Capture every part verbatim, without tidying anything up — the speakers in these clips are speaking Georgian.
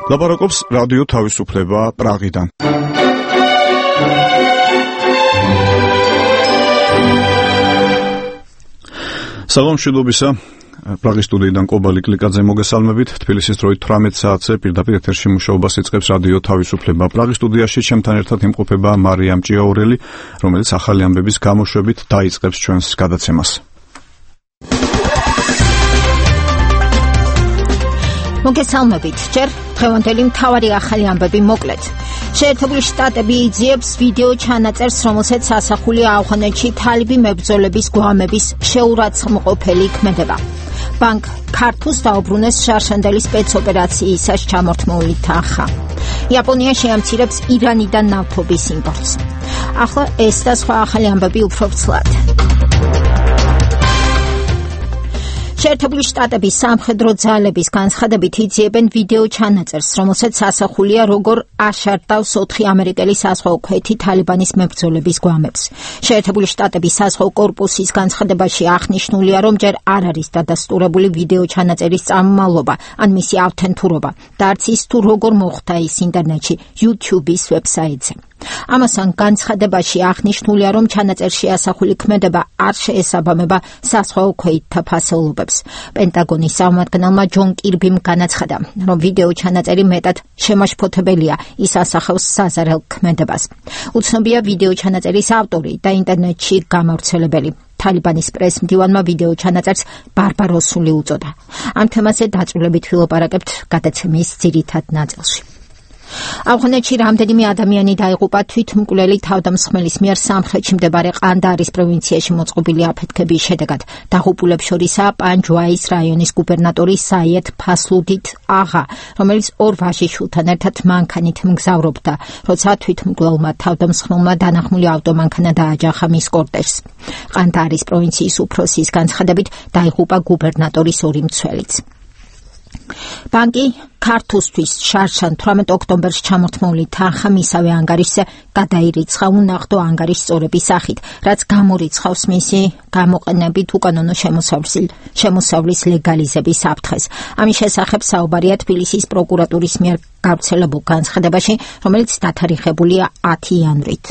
ლაპარაკობს რადიო თავისუფლება პრაღიდან. სალამ მშვიდობისა. პრაღის სტუდიიდან კობალი კლიკაძე მოგესალმებით. თბილისის დროით თვრამეტ საათზე პირდაპირ ეთერში მუშაობას იწყებს რადიო თავისუფლება. პრაღის სტუდიაში ჩემთან ერთად იმყოფება მარიამ ჭიაურელი, რომელიც ახალი ამბების გამოშვებით დაიწყებს ჩვენს გადაცემას. მოგესალმებით. ჯერ დღევანდელი მთავარი ახალი ამბები მოკლედ. შეერთებული შტატები იძიებს ვიდეო ჩანაწერს, რომელსაც ასახულია ავღანეთში თალიბი მებრძოლების გვამების შეურაცხმყოფელი ქმედება. ბანკ ქართულს დაუბრუნეს შარშანდელი სპეცოპერაციისას ჩამორთმეული თანხა. იაპონია შეამცირებს ირანიდან ნავთობის იმპორტს. ახლა ეს და სხვა ახალი ამბები უფრო ვრცლად. შეერთებული შტატების სამხედრო ძალების განცხადებით იძიებენ ვიდეო ჩანაწერს, რომელსაც ასახულია როგორ აშარდავს ოთხი ამერიკელი საზღვაო ქვეითი თალიბანის მებრძოლების გვამებს. შეერთებული შტატების საზღვაო კორპუსის განცხადებაში აღნიშნულია, რომ ჯერ არ არის დადასტურებული ვიდეო ჩანაწერის წარმომავლობა ან მისი ავთენტურობა და არც ის თუ როგორ მოხდა ის ინტერნეტში YouTube-ის ვებსაიტზე. ამასთან განცხადებაში აღნიშნულია, რომ ჩანაწერში ასახული ქმედება არ შეესაბამება საზღვაო ქვეითთა ფასეულობებს. პენტაგონის წარმომადგენელმა ჯონ კირბიმ განაცხადა, რომ ვიდეო ჩანაწერი მეტად შემაშფოთებელია, ის ასახავს საზარელ ქმედებას. უცნობია ვიდეო ჩანაწერის ავტორი და ინტერნეტში გამავრცელებელი. თალიბანის პრეს-მდივანმა ვიდეო ჩანაწერს ბარბაროსული უწოდა. ამ თემაზე დაწვრილებით ვილაპარაკებთ გადაცემის ძირითად ნაწილში. ავღანეთში რამდენიმე ადამიანი დაიღუპა თვითმკვლელი თავდამსხმელის მიერ სამხრეთში მდებარე ყანდარის პროვინციაში მოწყობილი აფეთქების შედეგად. დაღუპულებს შორისაა პანჯვაის რაიონის გუბერნატორი საიედ ფასლუდით აღა, რომელიც ორ ვაჟიშვილთან ერთად მანქანით მგზავრობდა, როცა თვითმკვლელმა თავდამსხმელმა დანახმული ავტომანქანა დააჯახა მის კორტეჟს. ყანდარის პროვინციის უფროსის განცხადებით დაიღუპა გუბერნატორის ორი მცველიც. ბანკი ქართულსთვის შარშან თვრამეტ ოქტომბერს ჩამორთმეული თანხა მისავე ანგარიშზე გადაირიცხა უნახდო ანგარიშ სწორების სახით, რაც გამორიცხავს მისი გამოყენებით უკანონო შემოსავლის ლეგალიზების საფრთხეს. ამის შესახებ საუბარია თბილისის პროკურატურის მიერ გავრცელებულ განცხადებაში, რომელიც დათარიღებულია ათი იანვრით.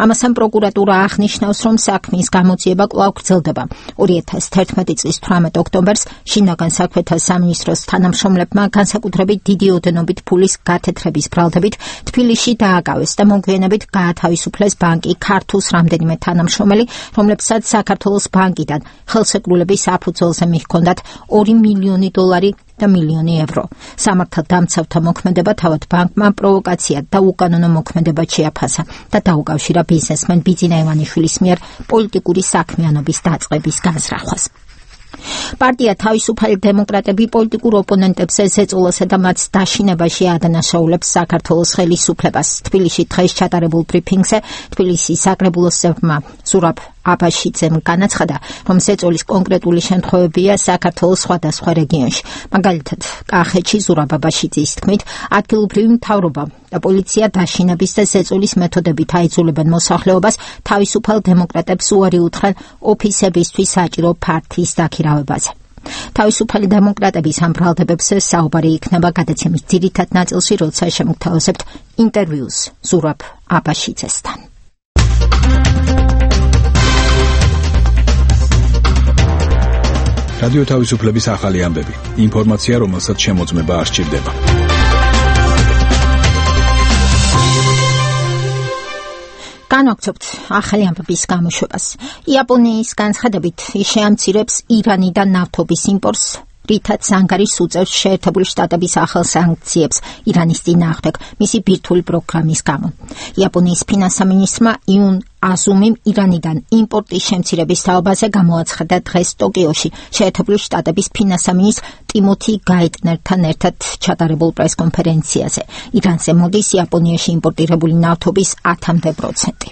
ამასთან პროკურატურა აღნიშნავს, რომ საქმის გამოძიება კვლავ გრძელდება. ორი ათას თერთმეტი წლის თვრამეტ ოქტომბერს შინაგან საქმეთა სამინისტროს თანამშრომლებმა განსაკუთრებით დიდი ოდენობით ფულის გათეთრების ბრალდებით თბილისში დააკავეს და მოგვიანებით გაათავისუფლეს ბანკი ქართულს რამდენიმე თანამშრომელი, რომლებსაც საქართველოს ბანკიდან ხელშეკრულების საფუძველზე მიჰქონდათ ორი მილიონი დოლარი და მილიონი ევრო. სამართალდამცავთა მოქმედება თავად ბანკმა პროვოკაციად და უკანონო მოქმედებად შეაფასა და დაუკავშირა ბიზნესმენ ბიძინა ივანიშვილის მიერ პოლიტიკური საქმიანობის დაწყების განზრახვას. პარტია თავისუფალი დემოკრატები პოლიტიკურ ოპონენტებს ეწოლასა და მათ დაშინებაში ადანაშაულებს საქართველოს ხელისუფლებას. თბილისში დღეს ჩატარებულ ბრიფინგზე თბილისის საკრებულოს წევრმა ზურაბ აბაშიძემ განაცხადა, რომ ზეწოლის კონკრეტული შემთხვევებია საქართველოს სხვადასხვა რეგიონში. მაგალითად, კახეთში ზურაბ აბაშიძის თქმით, ადგილობრივი მთავრობა და პოლიცია დაშინების და ზეწოლის მეთოდებით აიძულებენ მოსახლეობას თავისუფალ დემოკრატებს უარი უთხრენ ოფისებისთვის საჭირო ფართის დაქირავებაზე. თავისუფალი დემოკრატების ამ ბრალდებებზე საუბარი იქნება გადაცემის ძირითად ნაწილში, როცა შემოგთავაზებთ ინტერვიუს ზურაბ აბაშიძესთან. რადიო თავისუფლების ახალი ამბები. ინფორმაცია, რომელსაც შემოწმება არ სჭირდება. განვაგრძობთ ახალი ამბების გამოშვებას. იაპონიის განცხადებით ის შეამცირებს ირანიდან ნავთობის იმპორტს, რითაც ანგარიშს უწევს შეერთებული შტატების ახალ სანქციებს ირანის წინააღმდეგ მისი ბირთვული პროგრამის გამო. იაპონიის ფინანსთა მინისტრმა იუნ აზუმიმ ირანიდან იმპორტის შემცირების თაობაზე გამოაცხადა დღეს ტოკიოში შეერთებული შტატების ფინანსთა მინისტრ ტიმოთი გაიტნერთან ერთად ჩატარებულ პრესკონფერენციაზე. ირანზე მოდის იაპონიაში იმპორტირებული ნავთობის ათამდე პროცენტი.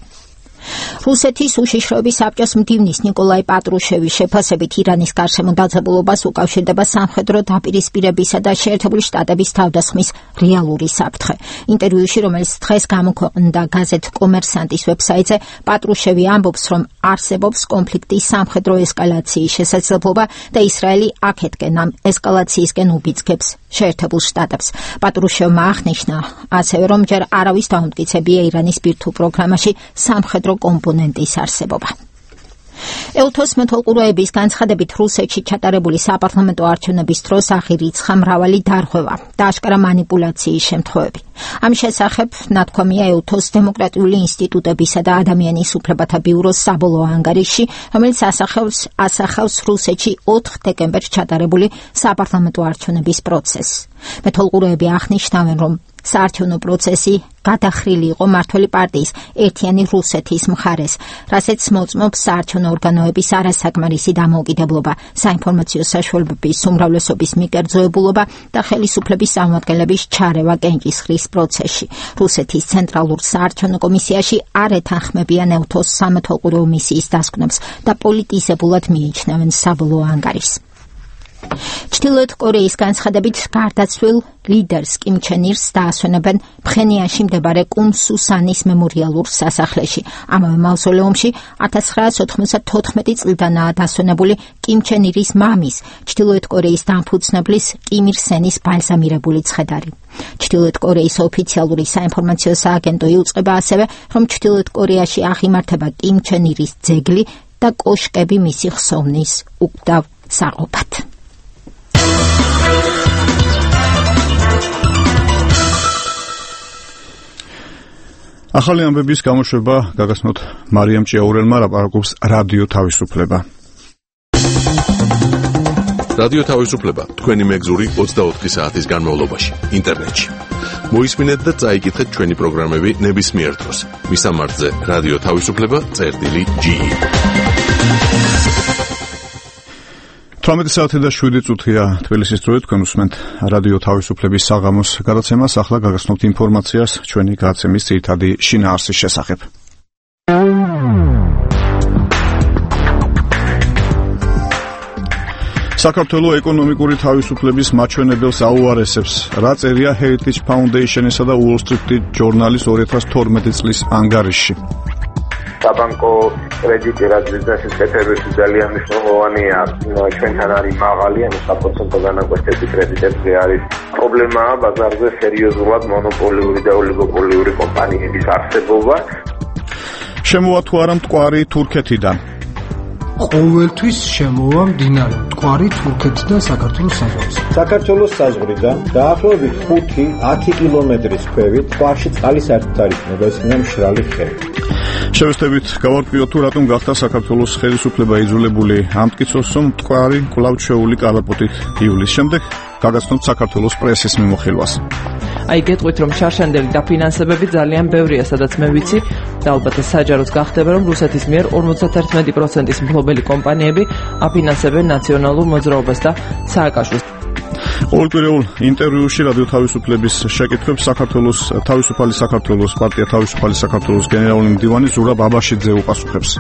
რუსეთის უშიშროების საბჭოს მდივნის ნიკოლაი პატრუშევის შეფასებით ირანის გარშემო დაძაბულობას უკავშირდება სამხედრო დაპირისპირებისა და შეერთებული შტატების თავდასხმის რეალური საფრთხე. ინტერვიუში, რომელიც დღეს გამოქვეყნდა გაზეთ კომერსანტის ვებსაიტზე, პატრუშევი ამბობს, რომ არსებობს კონფლიქტის სამხედრო ესკალაციის შესაძლებლობა და ისრაელი აქეთკენ ამ ესკალაციისკენ უბიძგებს შეერთებულ შტატებს. პატრუშევმა აღნიშნა ასევე, რომ ჯერ არავის დაუმტკიცებია ირანის ბირთვულ პროგრამაში სამხედრო კომპონენტის არსებობა. ელთოს მეთვალყურეების განცხადებით რუსეთში ჩატარებული საპარლამენტო არჩევნების დროს აღირიცხა მრავალი დარღვევა და აშკარა მანიპულაციის შემთხვევები. ამის შესახებ ნათქვამია ელთოს დემოკრატიული ინსტიტუტებისა და ადამიანის უფლებათა ბიუროს საბოლოო ანგარიშში, რომელიც ასახავს ასახავს რუსეთში ოთხ დეკემბერს ჩატარებული საპარლამენტო არჩევნების პროცესს. მეთვალყურეები აღნიშნავენ, რომ საარჩევნო პროცესი გადახრილი იყო მმართველი პარტიის ერთიანი რუსეთის მხარეს, რასაც მოწმობს საარჩევნო ორგანოების არასაკმარისი დამოუკიდებლობა, საინფორმაციო საშუალებების უმრავლესობის მიკერძოებულობა და ხელისუფლების წარმომადგენლების ჩარევა კენჭისყრის პროცესში. რუსეთის ცენტრალურ საარჩევნო კომისიაში არ ეთანხმებიან ელთოს სამეთვალყურეო მისიის დასკვნებს და პოლიტიზებულად მიიჩნევენ საბოლოო ანგარიშს. ჩრდილოეთ კორეის განცხადებით გარდაცვლილ ლიდერს კიმ ჩენ ირს დაასვენებენ ფხენიანში მდებარე კუმ სუსანის მემორიალურ სასახლეში. ამავე მავზოლეუმში ათას ცხრაასი ოთხმოცდათოთხმეტი წლიდანაა დასვენებული კიმ ჩენ ირის მამის, ჩრდილოეთ კორეის დამფუძნებლის კიმ ირ სენის ბალზამირებული ცხედარი. ჩრდილოეთ კორეის ოფიციალური საინფორმაციო სააგენტო იუწყება ასევე, რომ ჩრდილოეთ კორეაში აღიმართება კიმ ჩენ ირის ძეგლი და კოშკები მისი ხსოვნის უკვდავ საყოფად. ახალი ამბების გამოშვება გაგაცნოთ მარიამ ჭიაურელმა, ლაპარაკობს რადიო თავისუფლება. რადიო თავისუფლება თქვენი მეგზური ოცდაოთხი საათის განმავლობაში ინტერნეტში. მოისმინეთ და წაიკითხეთ ჩვენი პროგრამები ნებისმიერ დროს. მისამართზე რადიო თავისუფლება წერტილი ჯი. თვრამეტი საათი და შვიდი წუთია თბილისის დროით, თქვენ უსმენთ რადიო თავისუფლების საღამოს გადაცემას. ახლა გაგაცნობთ ინფორმაციას ჩვენი გადაცემის ძირითადი შინაარსის შესახებ. საქართველო ეკონომიკური თავისუფლების მაჩვენებელს აუარესებს. რა წერია Heritage Foundation-ისა და Wall Street Journal-ის ორი ათას თორმეტი წლის ანგარიშში. საბანკო კრედიტი რაც ბიზნესის კეთებაში ძალიან მნიშვნელოვანია, ჩვენთან არის მაღალი, ანუ საპროცენტო განაკვეთები კრედიტებზე არის პრობლემაა ბაზარზე სერიოზულად მონოპოლიური და ოლიგოპოლიური კომპანიების არსებობა. შემოვა თუ არა მტკვარი თურქეთიდან? ყოველთვის შემოვა მდინარე მტკვარი თურქეთიდან საქართველოს საზღვრზე. საქართველოს საზღვრიდან დაახლოებით ხუთი ათი კილომეტრის ქვევით ტყვარში წყალის საერთოდ არ იქნება, ეს იქნება მშრალი ხევი. შევეცდებით გავარკვიოთ თუ რატომ გახდა საქართველოს ხელისუფლება იძულებული ამტკიცოს, რომ მტკვარი კვლავ შეეული კალაპოტით ივლის შემდეგ გაგაცნობთ საქართველოს პრესის მიმოხილვას. აი გეტყვით, რომ შარშანდელი დაფინანსებები ძალიან ბევრია, სადაც მე ვიცი და ალბათ საჯაროც გახდება, რომ რუსეთის მიერ ორმოცდაერთმეტი პროცენტის მფლობელი კომპანიები აფინანსებენ ნაციონალურ მოძრაობას და სააკაშვილს. ყოველკვირეულ ინტერვიუში რადიო თავისუფლების შეკითხვებს საქართველოს თავისუფალი საქართველოს პარტია თავისუფალი საქართველოს გენერალური მდივანი ზურაბ აბაშიძე უპასუხებს.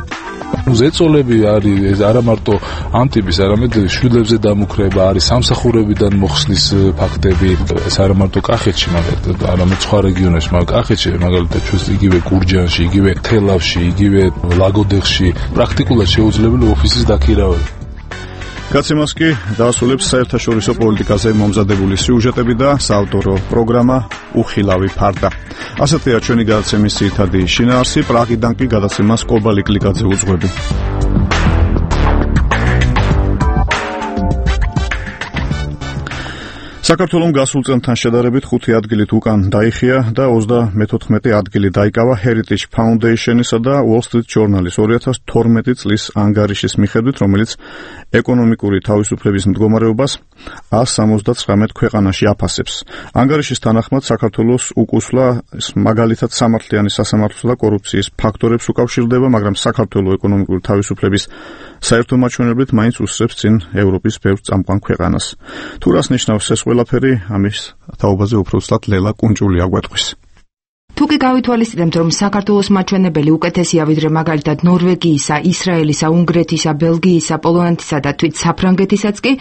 ზეწოლები არის არა მარტო ამ ტიპის, არამედ შვილებზე დამუქრება არის, სამსახურებიდან მოხსნის ფაქტები, ეს არა მარტო კახეთში, მაგალითად, არამედ სხვა რეგიონებში, მაგრამ კახეთში, მაგალითად, ჩვენს იგივე გურჯანში, იგივე თელავში, იგივე ლაგოდეხში, პრაქტიკულად შეუძლებელი ოფისის დაქირავება. გაცემას კი დაასრულებს საერთაშორისო პოლიტიკაზე მომზადებული სიუჟეტები და საავტორო პროგრამა უხილავი ფარდა. ასეთია ჩვენი გადაცემის ძირითადი შინაარსი, პრაღიდან კი გადაცემას კობალი კლიკაძე უძღვები. საქართველომ გასულ წელთან შედარებით ხუთი ადგილით უკან დაიხია და ოცდამეთოთხმეტი ადგილი დაიკავა Heritage Foundation-ისა და Wall Street Journal-ის ორი ათას თორმეტი წლის ანგარიშის მიხედვით, რომელიც ეკონომიკური თავისუფლების მდგომარეობას ას სამოცდაცხრამეტ ქვეყანაში აფასებს. ანგარიშის თანახმად საქართველოს უკუსვლა მაგალითად სამართლიანი სასამართლო და კორუფციის ფაქტორებს უკავშირდება, მაგრამ საქართველოს ეკონომიკური თავისუფლების საერთო მაჩვენებლით მაინც უსწრებს წინ ევროპის ბევრ წამყვან ქვეყანას. თუ რას ნიშნავს ეს ყველაფერი, ამის თაობაზე უფრო უცლად ლელა კუნჭული აგვეტყვის. თუ კი გავითვალისწინებთ, რომ საქართველოს მაჩვენებელი უკეთესია ვიდრე მაგალითად ნორვეგიისა, ისრაელისა, უნგრეთისა, ბელგიისა, პოლონეთისა და თვით საფრანგეთისაც კი,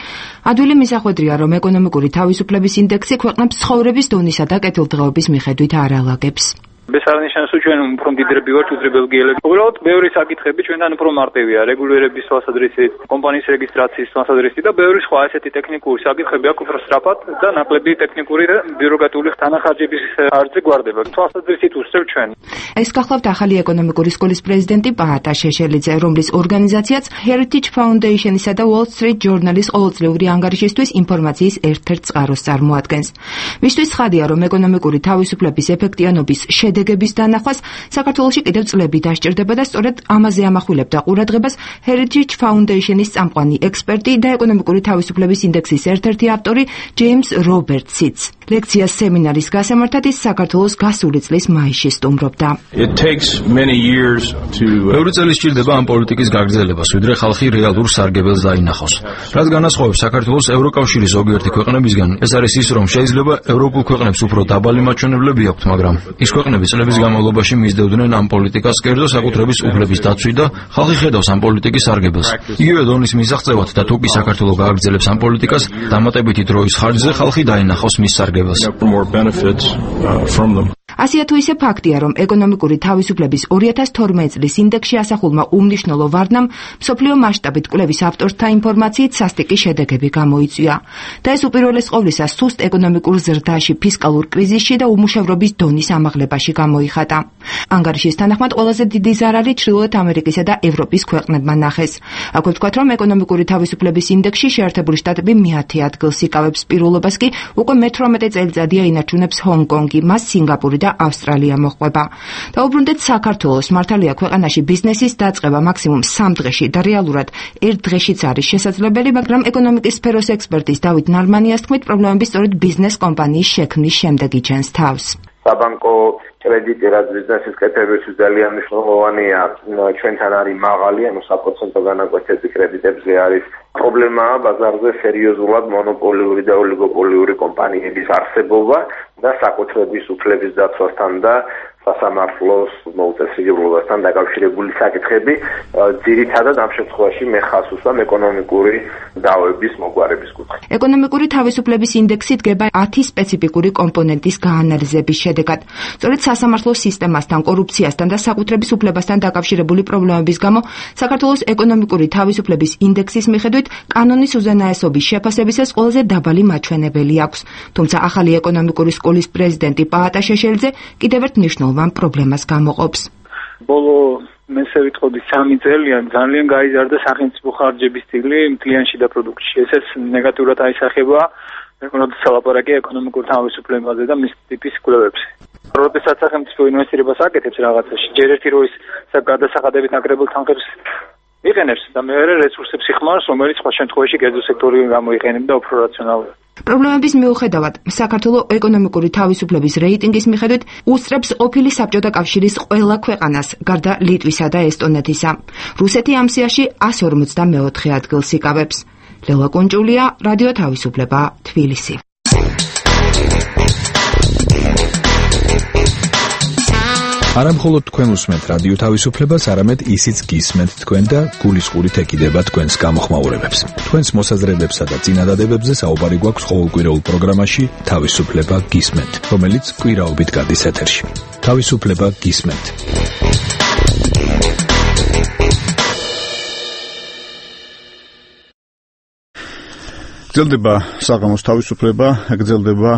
ადვილი მისახვედრია, რომ ეკონომიკური თავისუფლების ინდექსი ქვეყნებს ცხოვრების დონისა და კეთილდღეობის მიხედვით არ ალაგებს. ეს არნიშნავს, რომ ჩვენ უფრო მდიდრები ვართ ვიდრე ბელგიელები. უბრალოდ ბევრი საკითხები ჩვენთან უფრო მარტივია, რეგულირების თვალსაზრისით, კომპანიის რეგისტრაციის თვალსაზრისით და ბევრი სხვა ესეთი ტექნიკური საკითხები აქვს უფრო სწრაფად და ნაკლები ტექნიკური და ბიუროკრატიული თანახარჯების ხარჯი გვარდება. თვალსაზრისით უსწრებ ჩვენ. ეს გახლავთ ახალი ეკონომიკური სკოლის პრეზიდენტი პაატა შეშელიძე, რომლის ორგანიზაციაც Heritage Foundation-ისა და Wall Street Journal-ის ყოველწლიური ანგარიშისთვის ინფორმაციის ერთ-ერთ წყაროს წარმოადგენს. მისთვის ცხადია, რომ ეკონომიკური თავისუფლების ეფექტიანობის შედეგების დანახვას საქართველოში კიდევ წლები დასჭირდება და სწორედ ამაზე ამახვილებდა ყურადღებას Heritage Foundation-ის წამყვანი ექსპერტი და ეკონომიკური თავისუფლების ინდექსის ერთ-ერთი ავტორი ჯეიმს რობერტსიც. ლექციას სემინარის გასამართად ის საქართველოს გასული წლის მაისში სტუმრობდა. ბევრი წელი სჭირდება ამ პოლიტიკის გაგრძელებას, ვიდრე ხალხი რეალურ სარგებელს დაინახოს. რაც განასხვავებს საქართველოს ევროკავშირის ზოგიერთი ქვეყნებისგან, ეს არის ის, რომ შეიძლება ევროპულ ქვეყნებს უფრო დაბალი მაჩვენებლები აქვთ, მაგრამ ის ქვეყნები წლების განმავლობაში მისდევდნენ ამ პოლიტიკას კერძო საკუთრების უფლების დაცვით და ხალხი ხედავს ამ პოლიტიკის სარგებელს. იგივე დონის მისაღწევად და თუ კი საქართველო გააგრძელებს ამ პოლიტიკას, დამატებითი დროის ხარჯზე ხალხი დაინახავს მის სარგებელს. ასია თუ ისე ფაქტია, რომ ეკონომიკური თავისუფლების ორი ათას თორმეტი წლის ინდექსში ასახულმა უმნიშვნელო ვარდნამ მსოფლიო მასშტაბით კვლევის ავტორთა ინფორმაციით სასტიკი შედეგები გამოიწვია. და ეს უპირველეს ყოვლისა სუსტ ეკონომიკურ ზრდაში, ფისკალურ კრიზისში და უმუშევრობის დონის ამაღლებაში გამოიხატა. ანგარიშის თანახმად ყველაზე დიდი ზარალი ჩრდილოეთ ამერიკისა და ევროპის ქვეყნებმა ნახეს. აქვე ვთქვათ, რომ ეკონომიკური თავისუფლების ინდექსში შეერთებული შტატები მეათე ადგილს იკავებს, პირველობას კი უკვე მეთვრამეტე წელიწადია ინარჩუნებს ჰონგ-კონგი, მას სინგაპური და ავსტრალია მოჰყვება. დაუბრუნდეთ საქართველოს. მართალია ქვეყანაში ბიზნესის დაწყება მაქსიმუმ სამ დღეში და რეალურად ერთ დღეშიც არის შესაძლებელი, მაგრამ ეკონომიკის სფეროს ექსპერტის დავით ნარმანიას თქმით, პრობლემები სწორედ ბიზნეს კომპანიის შექმნის შემდეგ იჩენს თავს. საბანკო კრედიტი, რაც ბიზნესის კეთებისთვის ძალიან მნიშვნელოვანია, ჩვენთან არის მაღალი, ანუ საპროცენტო განაკვეთები კრედიტებზე არის პრობლემაა ბაზარზე სერიოზულად მონოპოლიური და ოლიგოპოლიური კომპანიების არსებობა და საკუთრების უფლების დაცვასთან და სასამართლოს მოუწესრიგებლობასთან დაკავშირებული საკითხები, ძირითადად ამ შემთხვევაში მე ხაზს უსვამ ეკონომიკური დავების მოგვარების კუთხით. ეკონომიკური თავისუფლების ინდექსი დგება ათი სპეციფიკური კომპონენტის გაანალიზების შედეგად. სწორედ სასამართლოს სისტემასთან, კორუფციასთან და საკუთრების უფლებასთან დაკავშირებული პრობლემების გამო საქართველოს ეკონომიკური თავისუფლების ინდექსის მიხედვით კანონის უზენაესობის შეფასებისას ყველაზე დაბალი მაჩვენებელი აქვს. თუმცა ახალი ეკონომიკური სკოლის პრეზიდენტი პაატა შეშელიძე კიდევ ერთ მნიშვნელოვან პრობლემას გამოყოფს. ბოლო მესე ვიტყოდი სამი წელია ძალიან გაიზარდა სახელმწიფო ხარჯების წილი მთლიანში და პროდუქტში. ესეც ნეგატიურად აისახება როდესაც ლაპარაკია ეკონომიკურ თავისუფლებაზე და მის ტიპის კვლევებზე. როდესაც სახელმწიფო ინვესტირებას აკეთებს რაღაცაში, ჯერ ერთი რო ის გადასახადებით ნაკრებულ თანხებს იყენებს და მეორე რესურსებს იხმარს, რომელიც სხვა შემთხვევაში კერძო სექტორი გამოიყენებდა და უფრო რაციონალურად. პრობლემების მიუხედავად, საქართველოს ეკონომიკური თავისუფლების რეიტინგის მიხედვით უსწრებს ყოფილი საბჭოთა კავშირის ყველა ქვეყანას, გარდა ლიტვისა და ესტონეთისა. რუსეთი ამ სიაში εκατს ორმოცდამეოთხე ადგილს იკავებს. ლელა კუნჭულია, რადიო თავისუფლება, თბილისი. არა მხოლოდ თქვენ უსმენთ რადიო თავისუფლებას, არამედ ისიც გისმენთ თქვენ და გულისყურით ეკიდება თქვენს გამოხმაურებებს. თქვენს მოსაზრებებსა და წინადადებებზე საუბარი გვაქვს ყოველკვირეულ პროგრამაში თავისუფლება გისმენთ, რომელიც კვირაობით გადის ეთერში. თავისუფლება გისმენთ. გრძელდება საღამოს თავისუფლება, გრძელდება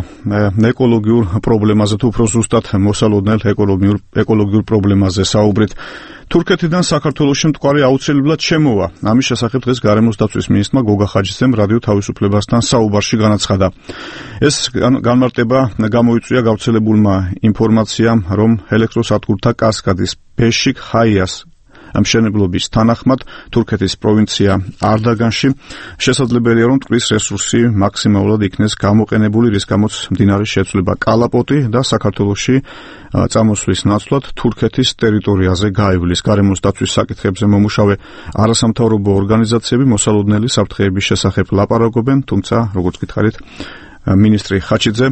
ეკოლოგიურ პრობლემაზე, თუ უფრო ზუსტად მოსალოდნელ ეკოლოგიურ ეკოლოგიურ პრობლემაზე საუბრით. თურქეთიდან საქართველოში მტკვარი აუცილებლად შემოვა. ამის შესახებ დღეს გარემოს დაცვის მინისტრმა გოგა ხაჯისძემ რადიო თავისუფლებასთან საუბარში განაცხადა. ეს განმარტება გამოიწვია გავრცელებულმა ინფორმაციამ, რომ ელექტროსადგურთა კასკადის ბეშიკ ჰაიას მშენებლობის თანახმად თურქეთის პროვინცია არდაგანში შესაძლებელია, რომ მტკვრის რესურსი მაქსიმალურად იქნეს გამოყენებული, რის გამოც მდინარის შეცვლება კალაპოტი და საქართველოში წამოსვლის ნაცვლად თურქეთის ტერიტორიაზე გაივლის. გარემოს დაცვის საკითხებზე მომუშავე არასამთავრობო ორგანიზაციები მოსალოდნელი საფრთხეების შესახებ ლაპარაკობენ, თუმცა, როგორც გითხარით, მინისტრი ხაჩიძე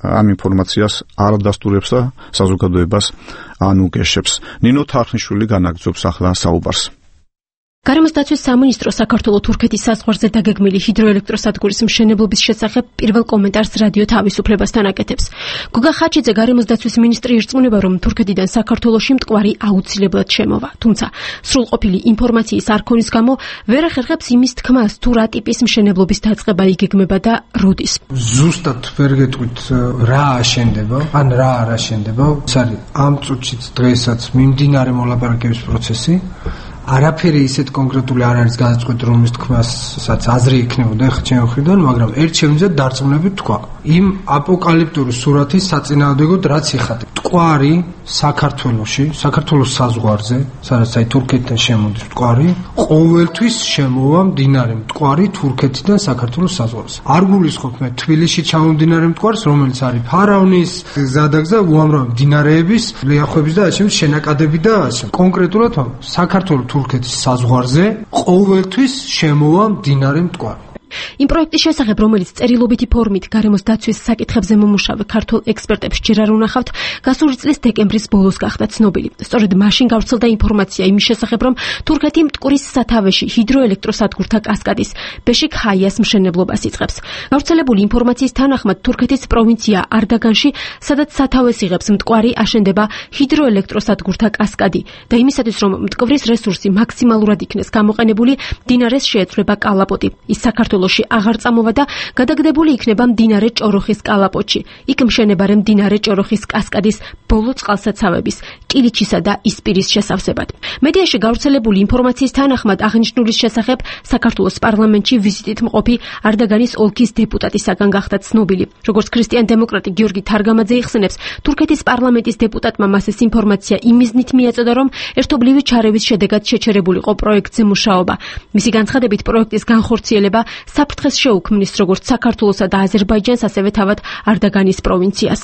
ამ ინფორმაციას არ დასტურებს და საზოგადოებას ანუგეშებს. ნინო თარხნიშვილი განაგრძობს ახლა საუბარს. გარემოს დაცვის სამინისტრო საქართველოს თურქეთის საზღვარზე დაგეგმილი ჰიდროელექტროსადგურის მშენებლობის შესახებ პირველ კომენტარს რადიო თავისუფლებასთან აკეთებს. გოგა ხაჩიძე გარემოს დაცვის მინისტრი ირწმუნება, რომ თურქეთიდან საქართველოში მტკვარი აუცილებლად შემოვა. თუმცა სრულყოფილი ინფორმაციის არ ქონის გამო ვერ ახერხებს იმის თქმას, თუ რა ტიპის მშენებლობის დაწყება იგეგმება და როდის. ზუსტად ვერ გეტყვით რა აშენდება, ან რა არ აშენდება. ეს არის ამ წუთშიც დღესაც მიმდინარე მოლაპარაკების პროცესი. არაფერი ისეთ კონკრეტული არ არის განაწყვეტი, რომლის თქმასაც აზრი იქნებოდა ახლა ჩემი მხრიდან, მაგრამ ერთ შემიძლია დარწმუნებით თქვა. იმ აპოკალიფტური სურათის საწინააღმდეგოდ რაც იხატება. მტკვარი საქართველოში, საქართველოს საზღვარზე, სადაც აი თურქეთიდან შემოდის მტკვარი, ყოველთვის შემოვა მდინარე მტკვარი თურქეთიდან საქართველოს საზღვარზე. არ გულისხმობ მე თბილისში ჩამომდინარე მტკვარს, რომელიც არის ფარავნის, ზადაგზა უამრავი მდინარეების, ლიახვების და ასე შენაკადები და ასე. კონკრეტულად საქართველოს თურქეთის საზღვარზე ყოველთვის შემოვა მდინარე მტკვარი. იმ პროექტის შესახებ, რომელიც წერილობითი ფორმით გარემოს დაცვის საკითხებზე მომუშავე ქართულ ექსპერტებს ჯერ არ უნახავთ, გასული წლის დეკემბრის ბოლოს გახდა ცნობილი. სწორედ მაშინ გავრცელდა ინფორმაცია იმის შესახებ, რომ თურქეთი მტკვრის სათავეში ჰიდროელექტროსადგურთა კასკადის ბეშიქ-ჰაიას მშენებლობას იწყებს. გავრცელებული ინფორმაციის თანახმად თურქეთის პროვინცია არდაგანში, სადაც სათავეს იღებს მტკვარი, აშენდება ჰიდროელექტროსადგურთა კასკადი და იმისათვის, რომ მტკვრის რესურსი მაქსიმალურად იქნეს გამოყენებული, მდინარეს შეეცვლება კალაპოტი. ის საქართველოში აღარ წამოვა და გადაგდებული იქნება მდინარე ჭოროხის კალაპოტში. იქ მშენებარე მდინარე ჭოროხის კასკადის ბოლო წყალსაცავების, კილიჩისა და ისპირის შესავსებად. მედიაში გავრცელებული ინფორმაციის თანახმად აღნიშნულის შესახებ საქართველოს პარლამენტში ვიზიტით მყოფი არდაგანის ოლქის დეპუტატისაგან გახდა ცნობილი. როგორც ქრისტიან-დემოკრატი გიორგი თარგამაძე იხსენებს, თურქეთის პარლამენტის დეპუტატმა მას ეს ინფორმაცია იმ მიზნით მიაწოდა, რომ ერთობლივი ჩარევის შედეგად შეჩერებულიყო პროექტზე მუშაობა. მისი განცხადებით, პროექტის განხორციელება საფრთხეს შეუქმნის როგორც საქართველოსა და აზერბაიჯანს, ასევე თავად არდაგანის პროვინციას.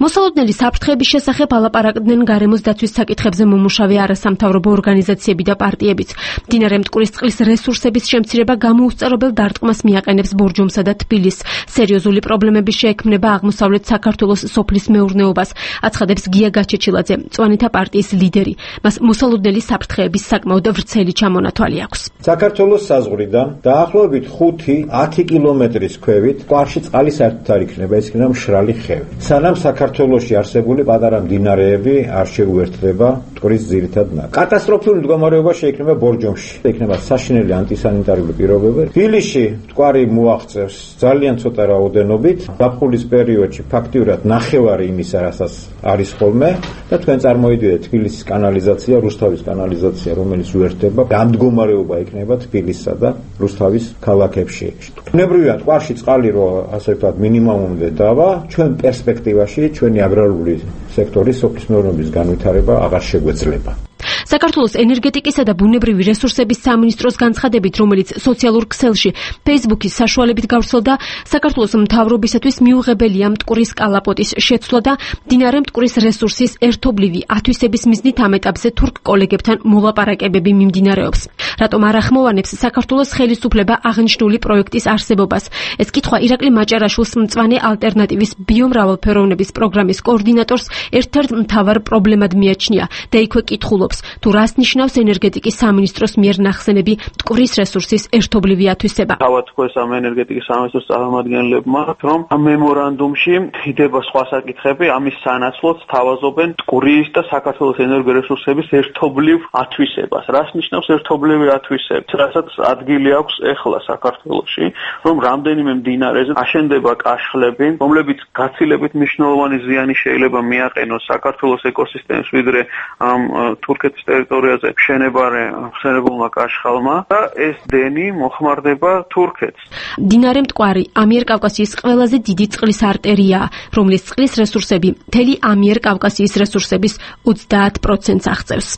მოსალოდნელი საფრთხეების შესახებ ალაპარაკდნენ გარემოს დაცვის საკითხებზე მომუშავე არასამთავრობო ორგანიზაციები და პარტიებიც. მდინარე მტკვრის წყლის რესურსების შემცირება გამოუსწორებელ დარტყმას მიაყენებს ბორჯომსა და თბილისს. სერიოზული პრობლემების შეექმნება აღმოსავლეთ საქართველოს სოფლის მეურნეობას, აცხადებს გია გაჩეჩილაძე, მწვანეთა პარტიის ლიდერი. მას მოსალოდნელი საფრთხეების საკმაოდ ვრცელი ჩამონათვალი აქვს. საქართველოს საზღვრიდან დაახლოებით ხუთი ათი კილომეტრის ქვევით მტკვარში წყალი საერთოდ არ იქნება, ეს იქნება მშრალი ხევი. სანამ საქართველოში არსებული პატარა მდინარეები არ შეუერთდება მტკვრის ძირითად ნაკადს. კატასტროფული მდგომარეობა შეიქმნება ბორჯომში. იქნება საშინელი ანტისანიტარული პირობები. თბილისში მტკვარი მოაღწევს ძალიან ცოტა რაოდენობით. ზაფხულის პერიოდში ფაქტიურად ნახევარი იმისა, რასაც არის ხოლმე და თქვენ წარმოიდგინეთ თბილისის კანალიზაცია, რუსთავის კანალიზაცია, რომელიც უერთდება. ამ მდგომარეობა იქნება თბილისსა და რუსთავის ქალაქებში. ბუნებრივია მტკვარში წყალი რო ასე ვთქვათ მინიმუმამდე დავა, ჩვენ პერსპექტივაში ჩვენი აგრარული სექტორის სოფლის მეურნეობის განვითარება აღარ შეგვეძლება. საქართველოს ენერგეტიკისა და ბუნებრივი რესურსების სამინისტროს განცხადებით, რომელიც სოციალურ ქსელში Facebook-ის საშუალებით გავრცელდა, საქართველოს მთავრობისათვის მიუღებელია მტკვრის კალაპოტის შეცვლა და მდინარე მტკვრის რესურსის ერთობლივი ათვისების მიზნით ამ ეტაპზე თურქ კოლეგებთან მოლაპარაკებები მიმდინარეობს. რატომ არ ახმოვანებს საქართველოს ხელისუფლება აღნიშნული პროექტის არსებობას? ეს კითხვა ირაკლი მაჭარაშვილს, მწვანე ალტერნატივის ბიომრავალფეროვნების პროგრამის კოორდინატორს, ერთ-ერთ მთავარ პრობლემად მიაჩნია და იქვე კითხულობს, თუ რას ნიშნავს ენერგეტიკის სამინისტროს მიერ ნახსენები მტკვრის რესურსის ერთობლივი ათვისება. თავად თქვენს ამ ენერგეტიკის სამინისტროს წარმომადგენლებმა, რომ ამ მემორანდუმში ხდება სხვა საკითხები, ამის სანაცვლოდ თავაზობენ მტკვრის და საქართველოს ენერგორესურსების ერთობლივ ათვისებას. რას ნიშნავს ერთობლივი ათვისება? რასაც ადგილი აქვს ეხლა საქართველოში, რომ რამდენიმე მდინარეზე აშენდება კაშხლები, რომლებიც გაცილებით მნიშვნელოვანი ზიანი შეიძლება მიაყენოს საქართველოს ეკოსისტემას, ვიდრე ამ თურქეთის ტერიტორიაზე მშენებარე ხსენებულმა კაშხალმა და ეს დენი მოხმარდება თურქეთს. მდინარე მტკვარი ამიერკავკასიის ყველაზე დიდი წყლის არტერიაა, რომლის წყლის რესურსები მთელი ამიერკავკასიის რესურსების ოცდაათ პროცენტს აღწევს.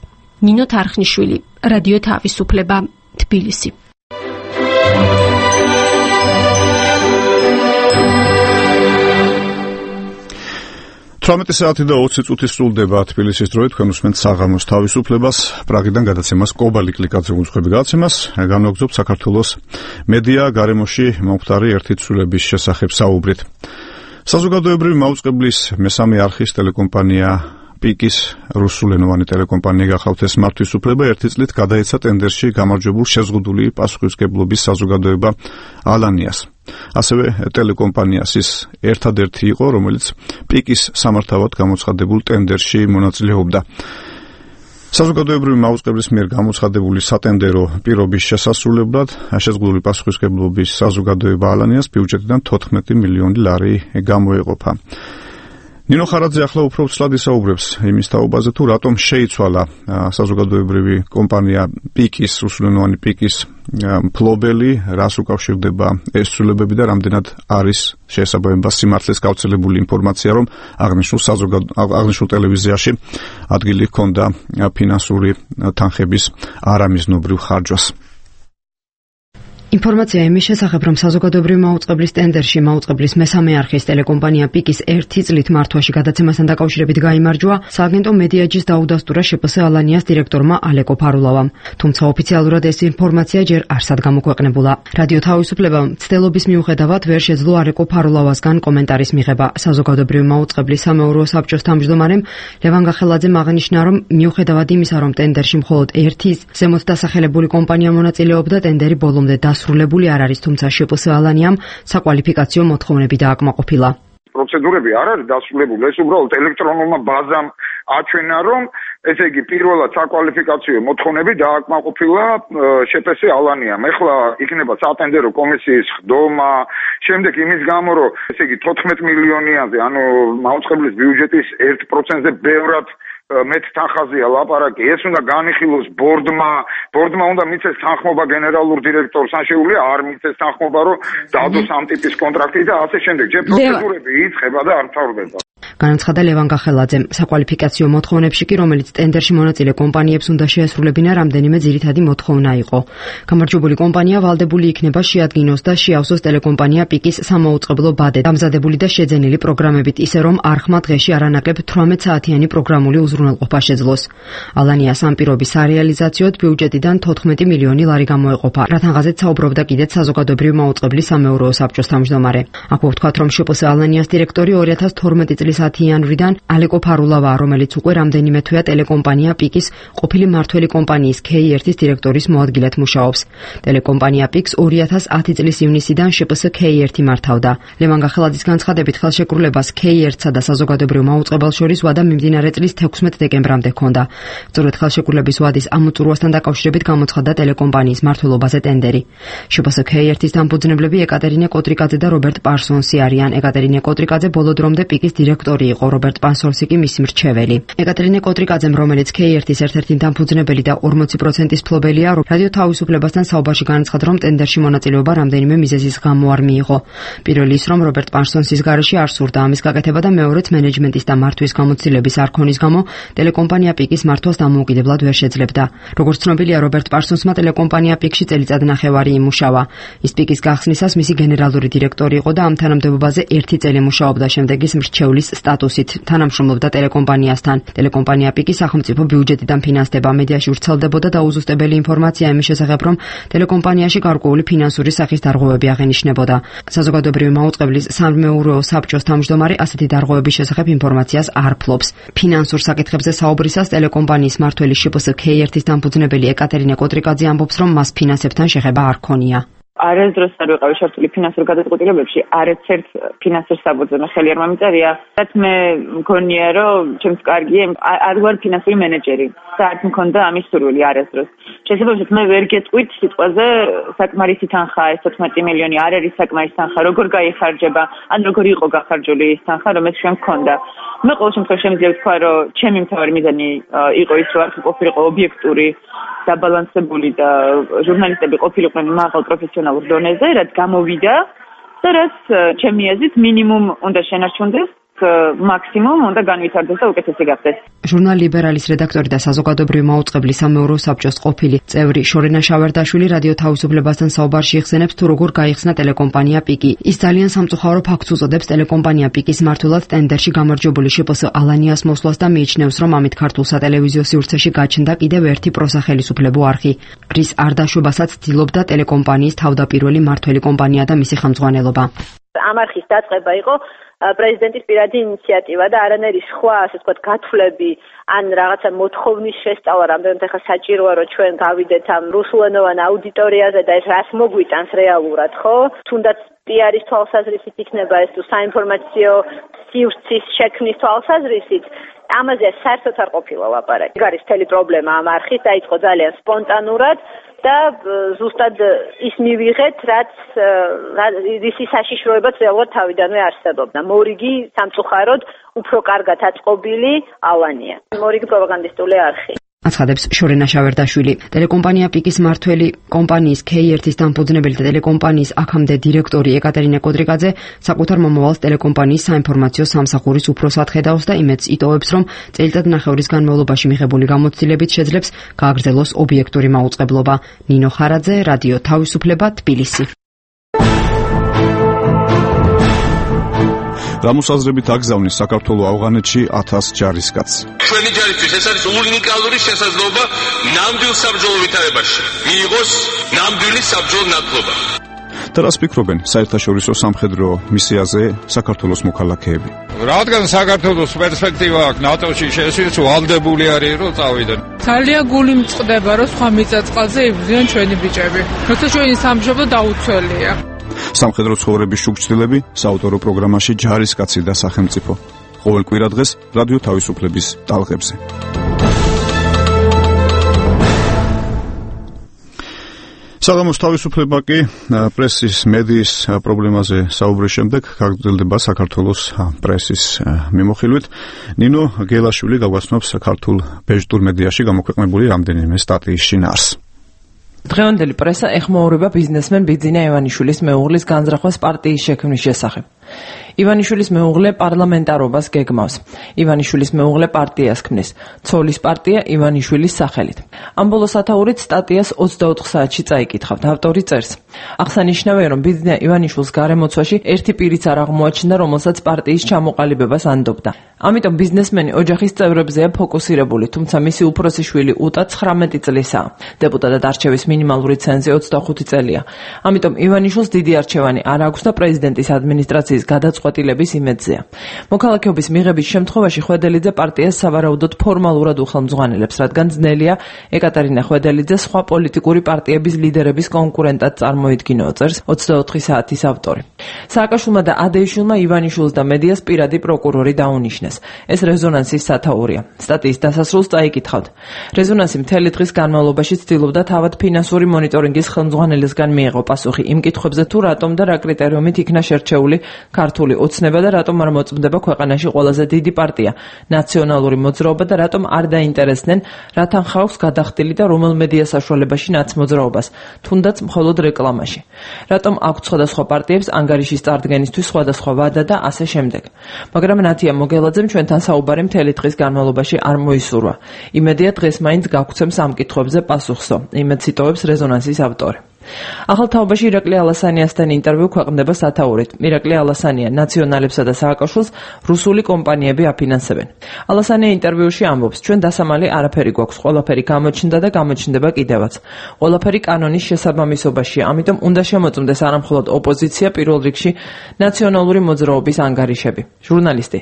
ნინო თარხნიშვილი, რადიო თავისუფლება, თბილისი. თვრამეტი საათი და ოცი წუთი სრულდება თბილისის დროით. თქვენ უსმენთ საღამოს თავისუფლებას, პრაღიდან გადაცემას კობალი კლიკაძე უძღვები გადაცემას. განვაგრძობთ საქართველოს მედია გარემოში მომხდარი ერთი ცვლილების შესახებ საუბრით. საზოგადოებრივი მაუწყებლის მესამე არხის ტელეკომპანია პიკის რუსულენოვანი ტელეკომპანია გახავთ ეს მართვის უფლება ერთი წლით გადაეცა ტენდერში გამარჯვებულ შეზღუდული პასუხისმგებლობის საზოგადოება ალანიას. ასევე ტელეკომპანიას ის ერთადერთი იყო, რომელიც პიკის სამართავად გამოცხადებულ ტენდერში მონაწილეობდა. საზოგადოებრივი მაუწყებლის მიერ გამოცხადებული სატენდერო პირობის შესასრულებლად შეზღუდული პასუხისმგებლობის საზოგადოება ალანიას ბიუჯეტიდან თოთხმეტი მილიონი ლარი გამოეყოფა. ნინო ხარაძე ახლა უფრო ცლად ისაუბრებს იმის თაობაზე, თუ რატომ შეიცვალა საზოგადოებრივი კომპანია პიკის, რუსულენოვანი პიკის მფლობელი, რას უკავშირდება ეს ცვლილებები და რამდენად არის შესაბამება სიმართლეს გავრცელებული ინფორმაცია, რომ აღნიშნულ აღნიშნულ ტელევიზიაში ადგილი ჰქონდა ფინანსური თანხების არამიზნობრივ ხარჯვას. ინფორმაცია იმის შესახებ, რომ საზოგადოებრივი მაუწყებლის ტენდერში მაუწყებლის მესამე არხის ტელეკომპანია პიკის ერთი წლით მართვაში გადაცემასთან დაკავშირებით გაიმარჯვა, სააგენტო მედიაჯის დაუდასტურა შპს ალანიას დირექტორმა ალეკო ფარულავამ. თუმცა ოფიციალურად ეს ინფორმაცია ჯერ არსად გამოქვეყნებულა. რადიო თავისუფლებამ მცდელობის მიუხედავად ვერ შეძლო ალეკო ფარულავასგან კომენტარის მიღება. საზოგადოებრივი მაუწყებლის სამეურვეო საბჭოს თავმჯდომარემ ლევან გახელაძემ აღნიშნა, რომ მიუხედავად იმისა, რომ ტენდერში მხოლოდ ერთი ზემოთ დასახელებული კომპანია მონაწილეობდა, ტენდერი ბოლომდე დასრულებული არ არის, თუმცა შპს ალანიამ საკვალიფიკაციო მოთხოვნები დააკმაყოფილა. პროცედურები არ არის დასრულებული, ეს უბრალოდ ელექტრონულმა ბაზამ აჩვენა, რომ ესე იგი პირველად საკვალიფიკაციო მოთხოვნები დააკმაყოფილა შპს ალანიამ. ეხლა იქნება სატენდერო კომისიის ხდომა, შემდეგ იმის გამო, რომ ესე იგი თოთხმეტ მილიონიანზე, ანუ მაუწყებლის ბიუჯეტის ერთ პროცენტზე ბევრად მეც თანხაზეა ლაპარაკი, ეს უნდა განიხილოს ბორდმა, ბორდმა უნდა მიცეს თანხმობა გენერალურ დირექტორს, ან შეუძლია არ მიცეს თანხმობა, რომ დადოს ამ ტიპის კონტრაქტი და ასე შემდეგ. ჯერ პროცედურები იწყება და არ მთავრდება. განაცხადა ლევან გახელაძემ. საკვალიფიკაციო მოთხოვნებში კი, რომელიც ტენდერში მონაწილე კომპანიებს უნდა შეესრულებინა, რამდენიმე ძირითადი მოთხოვნა იყო. გამარჯვებული კომპანია ვალდებული იქნება შეადგინოს და შეავსოს ტელეკომპანია პიკის სამაუწყებლო ბადე, დამზადებული და შეძენილი პროგრამებით, ისე რომ არხმა დღეში არანაკლებ თვრამეტ საათიანი პროგრამული უზრუნველყოფა შეძლოს. ალანიას ამ პირობის სარეალიზაციოდ ბიუჯეტიდან თოთხმეტი მილიონი ლარი გამოეყოფა, რათანღაზეც საუბრობდა კიდეც საზოგადოებრივი მაუწყებლის სამეურვეო საბჭოს თავმჯდომარე. აქვე ვთქვათ, რომ შპს ალანიას დირექტორი ორი ათას თორმეტი წლის ათი იანვრიდან ალეკო ფარულავაა, რომელიც უკვე რამდენიმე თვეა ტელეკომპანია პიკის ყოფილი მმართველი კომპანიის ქეი ერთის დირექტორის მოადგილედ მუშაობს. ტელეკომპანია პიკს ორი ათას ათი წლის ივნისიდან შპს ქეი ერთი მართავდა. ლევან გახელაძის განცხადებით ხელშეკრულებას ქეი ერთსა და საზოგადოებრივ მაუწყებელს შორის ვადა მიმდინარე წლის თექვსმეტ დეკემბრამდე ჰქონდა. სწორედ ხელშეკრულების ვადის ამოწურვასთან დაკავშირებით გამოცხადდა ტელეკომპანიის მმართველობაზე ტენდერი. შპს ქეი ერთის დამფუძნებლები ეკატერინე კოტრიკაძე და რობერტ პარსონსი არიან. ეკატერინე კოტრიკაძე ბოლო დრომდე პიკის დირექტორი იყო, რობერტ პარსონსი კი მისი მრჩეველი. ეკატერინე კოტრიკაძემ, რომელიც ქეი ერთის ერთ-ერთი დამფუძნებელი და ორმოცი პროცენტის მფლობელია, რადიო თავისუფლებასთან საუბარში განაცხადა, რომ ტენდერში მონაწილეობა რამდენიმე მიზეზის გამო არ მიიღო. პირველი ის, რომ რობერტ პარსონსის გარეშე არ სურდა ამის გაკეთება და მეორეც მენეჯმენტის და მართვის გამოცდილების არ ქონის გამო ტელეკომპანია პიკის მართვას დამოუკიდებლად ვერ შეძლებდა. როგორც ცნობილია, რობერტ პარსონსმა ტელეკომპანია პიკში წელიწად ნახევარი იმუშავა. ის პიკის გახსნისას მისი გენერალური დირექტორი იყო და ამ თანამდებობაზე ერთი წელი მუშაობდა, შემდეგ ის მრჩევლის სტატუსით თანამშრომლობდა ტელეკომპანიასთან. ტელეკომპანია პიკი სახელმწიფო ბიუჯეტიდან ფინანსდება. მედიაში ვრცელდებოდა დაუზუსტებელი ინფორმაცია იმის შესახებ, რომ ტელეკომპანიაში გარკვეული ფინანსური სახის დარღვევები აღენიშნებოდა. საზოგადოებრივი მაუწყებლის სამეურვეო საბჭოს თავმჯდომარე ასეთი დარღვევების შესახებ ინფორმაციას არ ფლობს. ფინანსურ საკითხებზე საუბრისას ტელეკომპანიის მმართველი შპს ქეი ერთის დამფუძნებელი ეკატერინე კოტრიკაძე ამბობს, რომ მას ფინანსებთან შეხება არ ქონია. არასდროს არ ვიყავი ჩართული ფინანსურ გადაწყვეტილებებში, არცერთ ფინანსურ საბრძოლო ხელი არ მომიწერია. რაც მე მგონია, რომ ჩემს კარგია, არ ვარ ფინანსური მენეჯერი. საერთოდ მქონდა ამის სურვილი არასდროს. შესაძლოა მე ვერ გეტყვით სიტყვაზე საკმარისი თანხა, ეს თოთხმეტი მილიონი არ არის საკმარისი თანხა, როგორ გაიხარჯება, ან როგორ იყო გახარჯული ის თანხა, რომელიც ჩვენ მქონდა. მე ყოველ შემთხვევაში შემიძლია ვთქვა, რომ ჩემი მთავარი მიზანი იყო ის, რომ არხი ყოფილიყო ობიექტური, დაბალანსებული და ჟურნალისტები ყოფილიყვნენ მაღალ პროფესიონალურ დონეზე, რაც გამოვიდა და რაც ჩემი აზრით მინიმუმ უნდა შენარჩუნდეს, მაქსიმუმ უნდა განვითარდეს და უკეთესი გახდეს. ჟურნალ ლიბერალის რედაქტორი და საზოგადოებრივი მაუწყებლის სამეურვეო საბჭოს ყოფილი წევრი შორენა შავერდაშვილი რადიო თავისუფლებასთან საუბარში იხსენებს, თუ როგორ გაიხსნა ტელეკომპანია პიკი. ის ძალიან სამწუხარო ფაქტს უწოდებს ტელეკომპანია პიკის მმართველად ტენდერში გამარჯვებული შპს ალანიას მოსვლას და მიიჩნევს, რომ ამით ქართულ სატელევიზიო სივრცეში გაჩნდა კიდევ ერთი პროსახელისუფლებო არხი, რის არ დაშვებასაც ცდილობდა ტელეკომპანიის თავდაპირველი მმართველი კომპანია და მისი ხელმძღვანელობა. ამ არხის დაწყება იყო პრეზიდენტის პირადი ინიციატივა და არანაირი სხვა, ასე ვთქვათ, გათვლები ან რაღაცა მოთხოვნის შესწავლა, რამდენად ახლა საჭიროა, რომ ჩვენ გავიდეთ ამ რუსულენოვან აუდიტორიაზე და ეს რას მოგვიტანს რეალურად, ხო? თუნდაც პიარის თვალსაზრისით იქნება ეს თუ საინფორმაციო სივრცის შექმნის თვალსაზრისით, ამაზე საერთოდ არ ყოფილა ლაპარაკი. ეგ არის მთელი პრობლემა ამ არხის, დაიწყო ძალიან სპონტანურად და ზუსტად ის მივიღეთ, რაც ისი საშიშროებაც რეალურად თავიდანვე არსებობდა. მორიგი სამწუხაროდ უფრო კარგად აწყობილი ალანია. მორიგი პროპაგანდისტული არხი. აცხადებს შორენა შავერდაშვილი. ტელეკომპანია პიკის მმართველი, კომპანიის ქეი ერთის დამფუძნებელი და ტელეკომპანიის აქამდე დირექტორი ეკატერინე კოდრიკაძე საკუთარ მომავალს ტელეკომპანიის საინფორმაციო სამსახურის უფროსად ხედავს და იმედს იტოვებს, რომ წელიწადნახევრის განმავლობაში მიღებული გამოცდილებით შეძლებს გააგრძელოს ობიექტური მაუწყებლობა. ნინო ხარაძე, რადიო თავისუფლება, თბილისი. გამოსაზრებით აგზავნის საქართველოს ავღანეთში ათას ჯარისკაცს. ჩვენი ჯარისთვის ეს არის უნიკალური შესაძლებლობა ნამდვილ საბრძოლო ვითარებაში მიიღოს ნამდვილი საბრძოლო ნათლობა. და რას ფიქრობენ საერთაშორისო სამხედრო მისიაზე საქართველოს მოქალაქეები? რადგან საქართველოს პერსპექტივა აქვს ნატოში შესვლის, ვალდებული არის რომ წავიდნენ. ძალიან გული მწყდება რომ სხვა მიწაწყალზე იბრძვიან ჩვენი ბიჭები. როცა ჩვენი სამშობლო დაუცველია. სამხედრო ცხოვრების შუქჩილები საავტორო პროგრამაში ჯარისკაცი და სახელმწიფო. ყოველ კვირადღეს რადიო თავისუფლების ტალღებზე. საღამოს თავისუფლება კი პრესის მედიის პრობლემაზე საუბრის შემდეგ გაგრძელდება საქართველოს პრესის მიმოხილვით. ნინო გელაშვილი გაგვაცნობს ქართულ ბეჟტურ მედიაში გამოქვეყნებული რამდენიმე სტატიის შინაარს. დღევანდელი პრესა ეხმაურება ბიზნესმენ ბიძინა ივანიშვილის მეუღლის განზრახვას პარტიის შექმნის შესახებ. ივანიშვილის მეუღლე პარლამენტარობას გეგმავს. ივანიშვილის მეუღლე პარტიას ქმნის. ცოლის პარტია ივანიშვილის სახელით. ამ ბოლო სათაურით სტატიას ოცდაოთხ საათში წაიკითხავთ. ავტორი წერს: აღსანიშნავია, რომ ბიძინა ივანიშვილს გარემოცვაში ერთი პირიც არ აღმოაჩნდა, რომელსაც პარტიის ჩამოყალიბებას ანდობდა. ამიტომ ბიზნესმენი ოჯახის წევრებზეა ფოკუსირებული, თუმცა მისი უფროსი შვილი უტა ცხრამეტი წლისაა. დეპუტატად არჩევის მინიმალური ცენზი ოცდახუთი წელია. ამიტომ ივანიშვილს დიდი არჩევანი არ აქვს და პრეზიდენტის ადმინისტრაციის გადაწყვეტილების იმედზეა. მოქალაქეობის მიღების შემთხვევაში ხვედელიძე პარტიას სავარაუდოდ ფორმალურად უხელმძღვანელებს, რადგან ძნელია ეკატერინა ხვედელიძე სხვა პოლიტიკური პარტიების ლიდერების კონკურენტად წარმოიდგინო, წერს ოცდაოთხი საათის ავტორი. სააკაშვილმა და ადეიშვილმა ივანიშვილს და მედიას პირადი პროკურორი დაუნიშნეს. ეს რეზონანსის სათაურია. სტატიის დასასრულს წაიკითხავთ. რეზონანსი მთელი დღის განმავლობაში ცდილობდა თავად ფინანსური მონიტორინგის ხელმძღვანელისგან მიეღო პასუხი იმ კითხვებზე, თუ რატომ და რა კრიტერიუმით იქნა შერჩეული ქართული ოცნება და რატომ არ მოწმდება ქვეყანაში ყველაზე დიდი პარტია, ნაციონალური მოძრაობა და რატომ არ დაინტერესდნენ, რათან ხალხს გადახდილი და რომელ მედია საშუალებაში ნაცმოძრაობას, თუნდაც მხოლოდ რეკლამაში. რატომ აქვს სხვადასხვა პარტიებს ანგარიშის წარდგენისთვის სხვადასხვა ვადა და ასე შემდეგ. მაგრამ ნათია მოგელაძემ ჩვენთან საუბარი მთელი დღის განმავლობაში არ მოისურვა. იმედია დღეს მაინც გაგვცემს ამ კითხვებზე პასუხსო. იმედს იტოვებს რეზონანსის ავტორი. ახალ თაობაში ირაკლი ალასანიასთან ინტერვიუ ქვეყნდება სათაურით. ირაკლი ალასანია ნაციონალებსა და სააკაშვილს რუსული კომპანიები აფინანსებენ. ალასანია ინტერვიუში ამბობს: ჩვენ დასამალი არაფერი გვაქვს, ყველაფერი გამოჩნდა და გამოჩნდება კიდევაც. ყველაფერი კანონის შესაბამისობაშია, ამიტომ უნდა შემოწმდეს არამხოლოდ ოპოზიცია, პირველ რიგში ნაციონალური მოძრაობის ანგარიშები. ჟურნალისტი: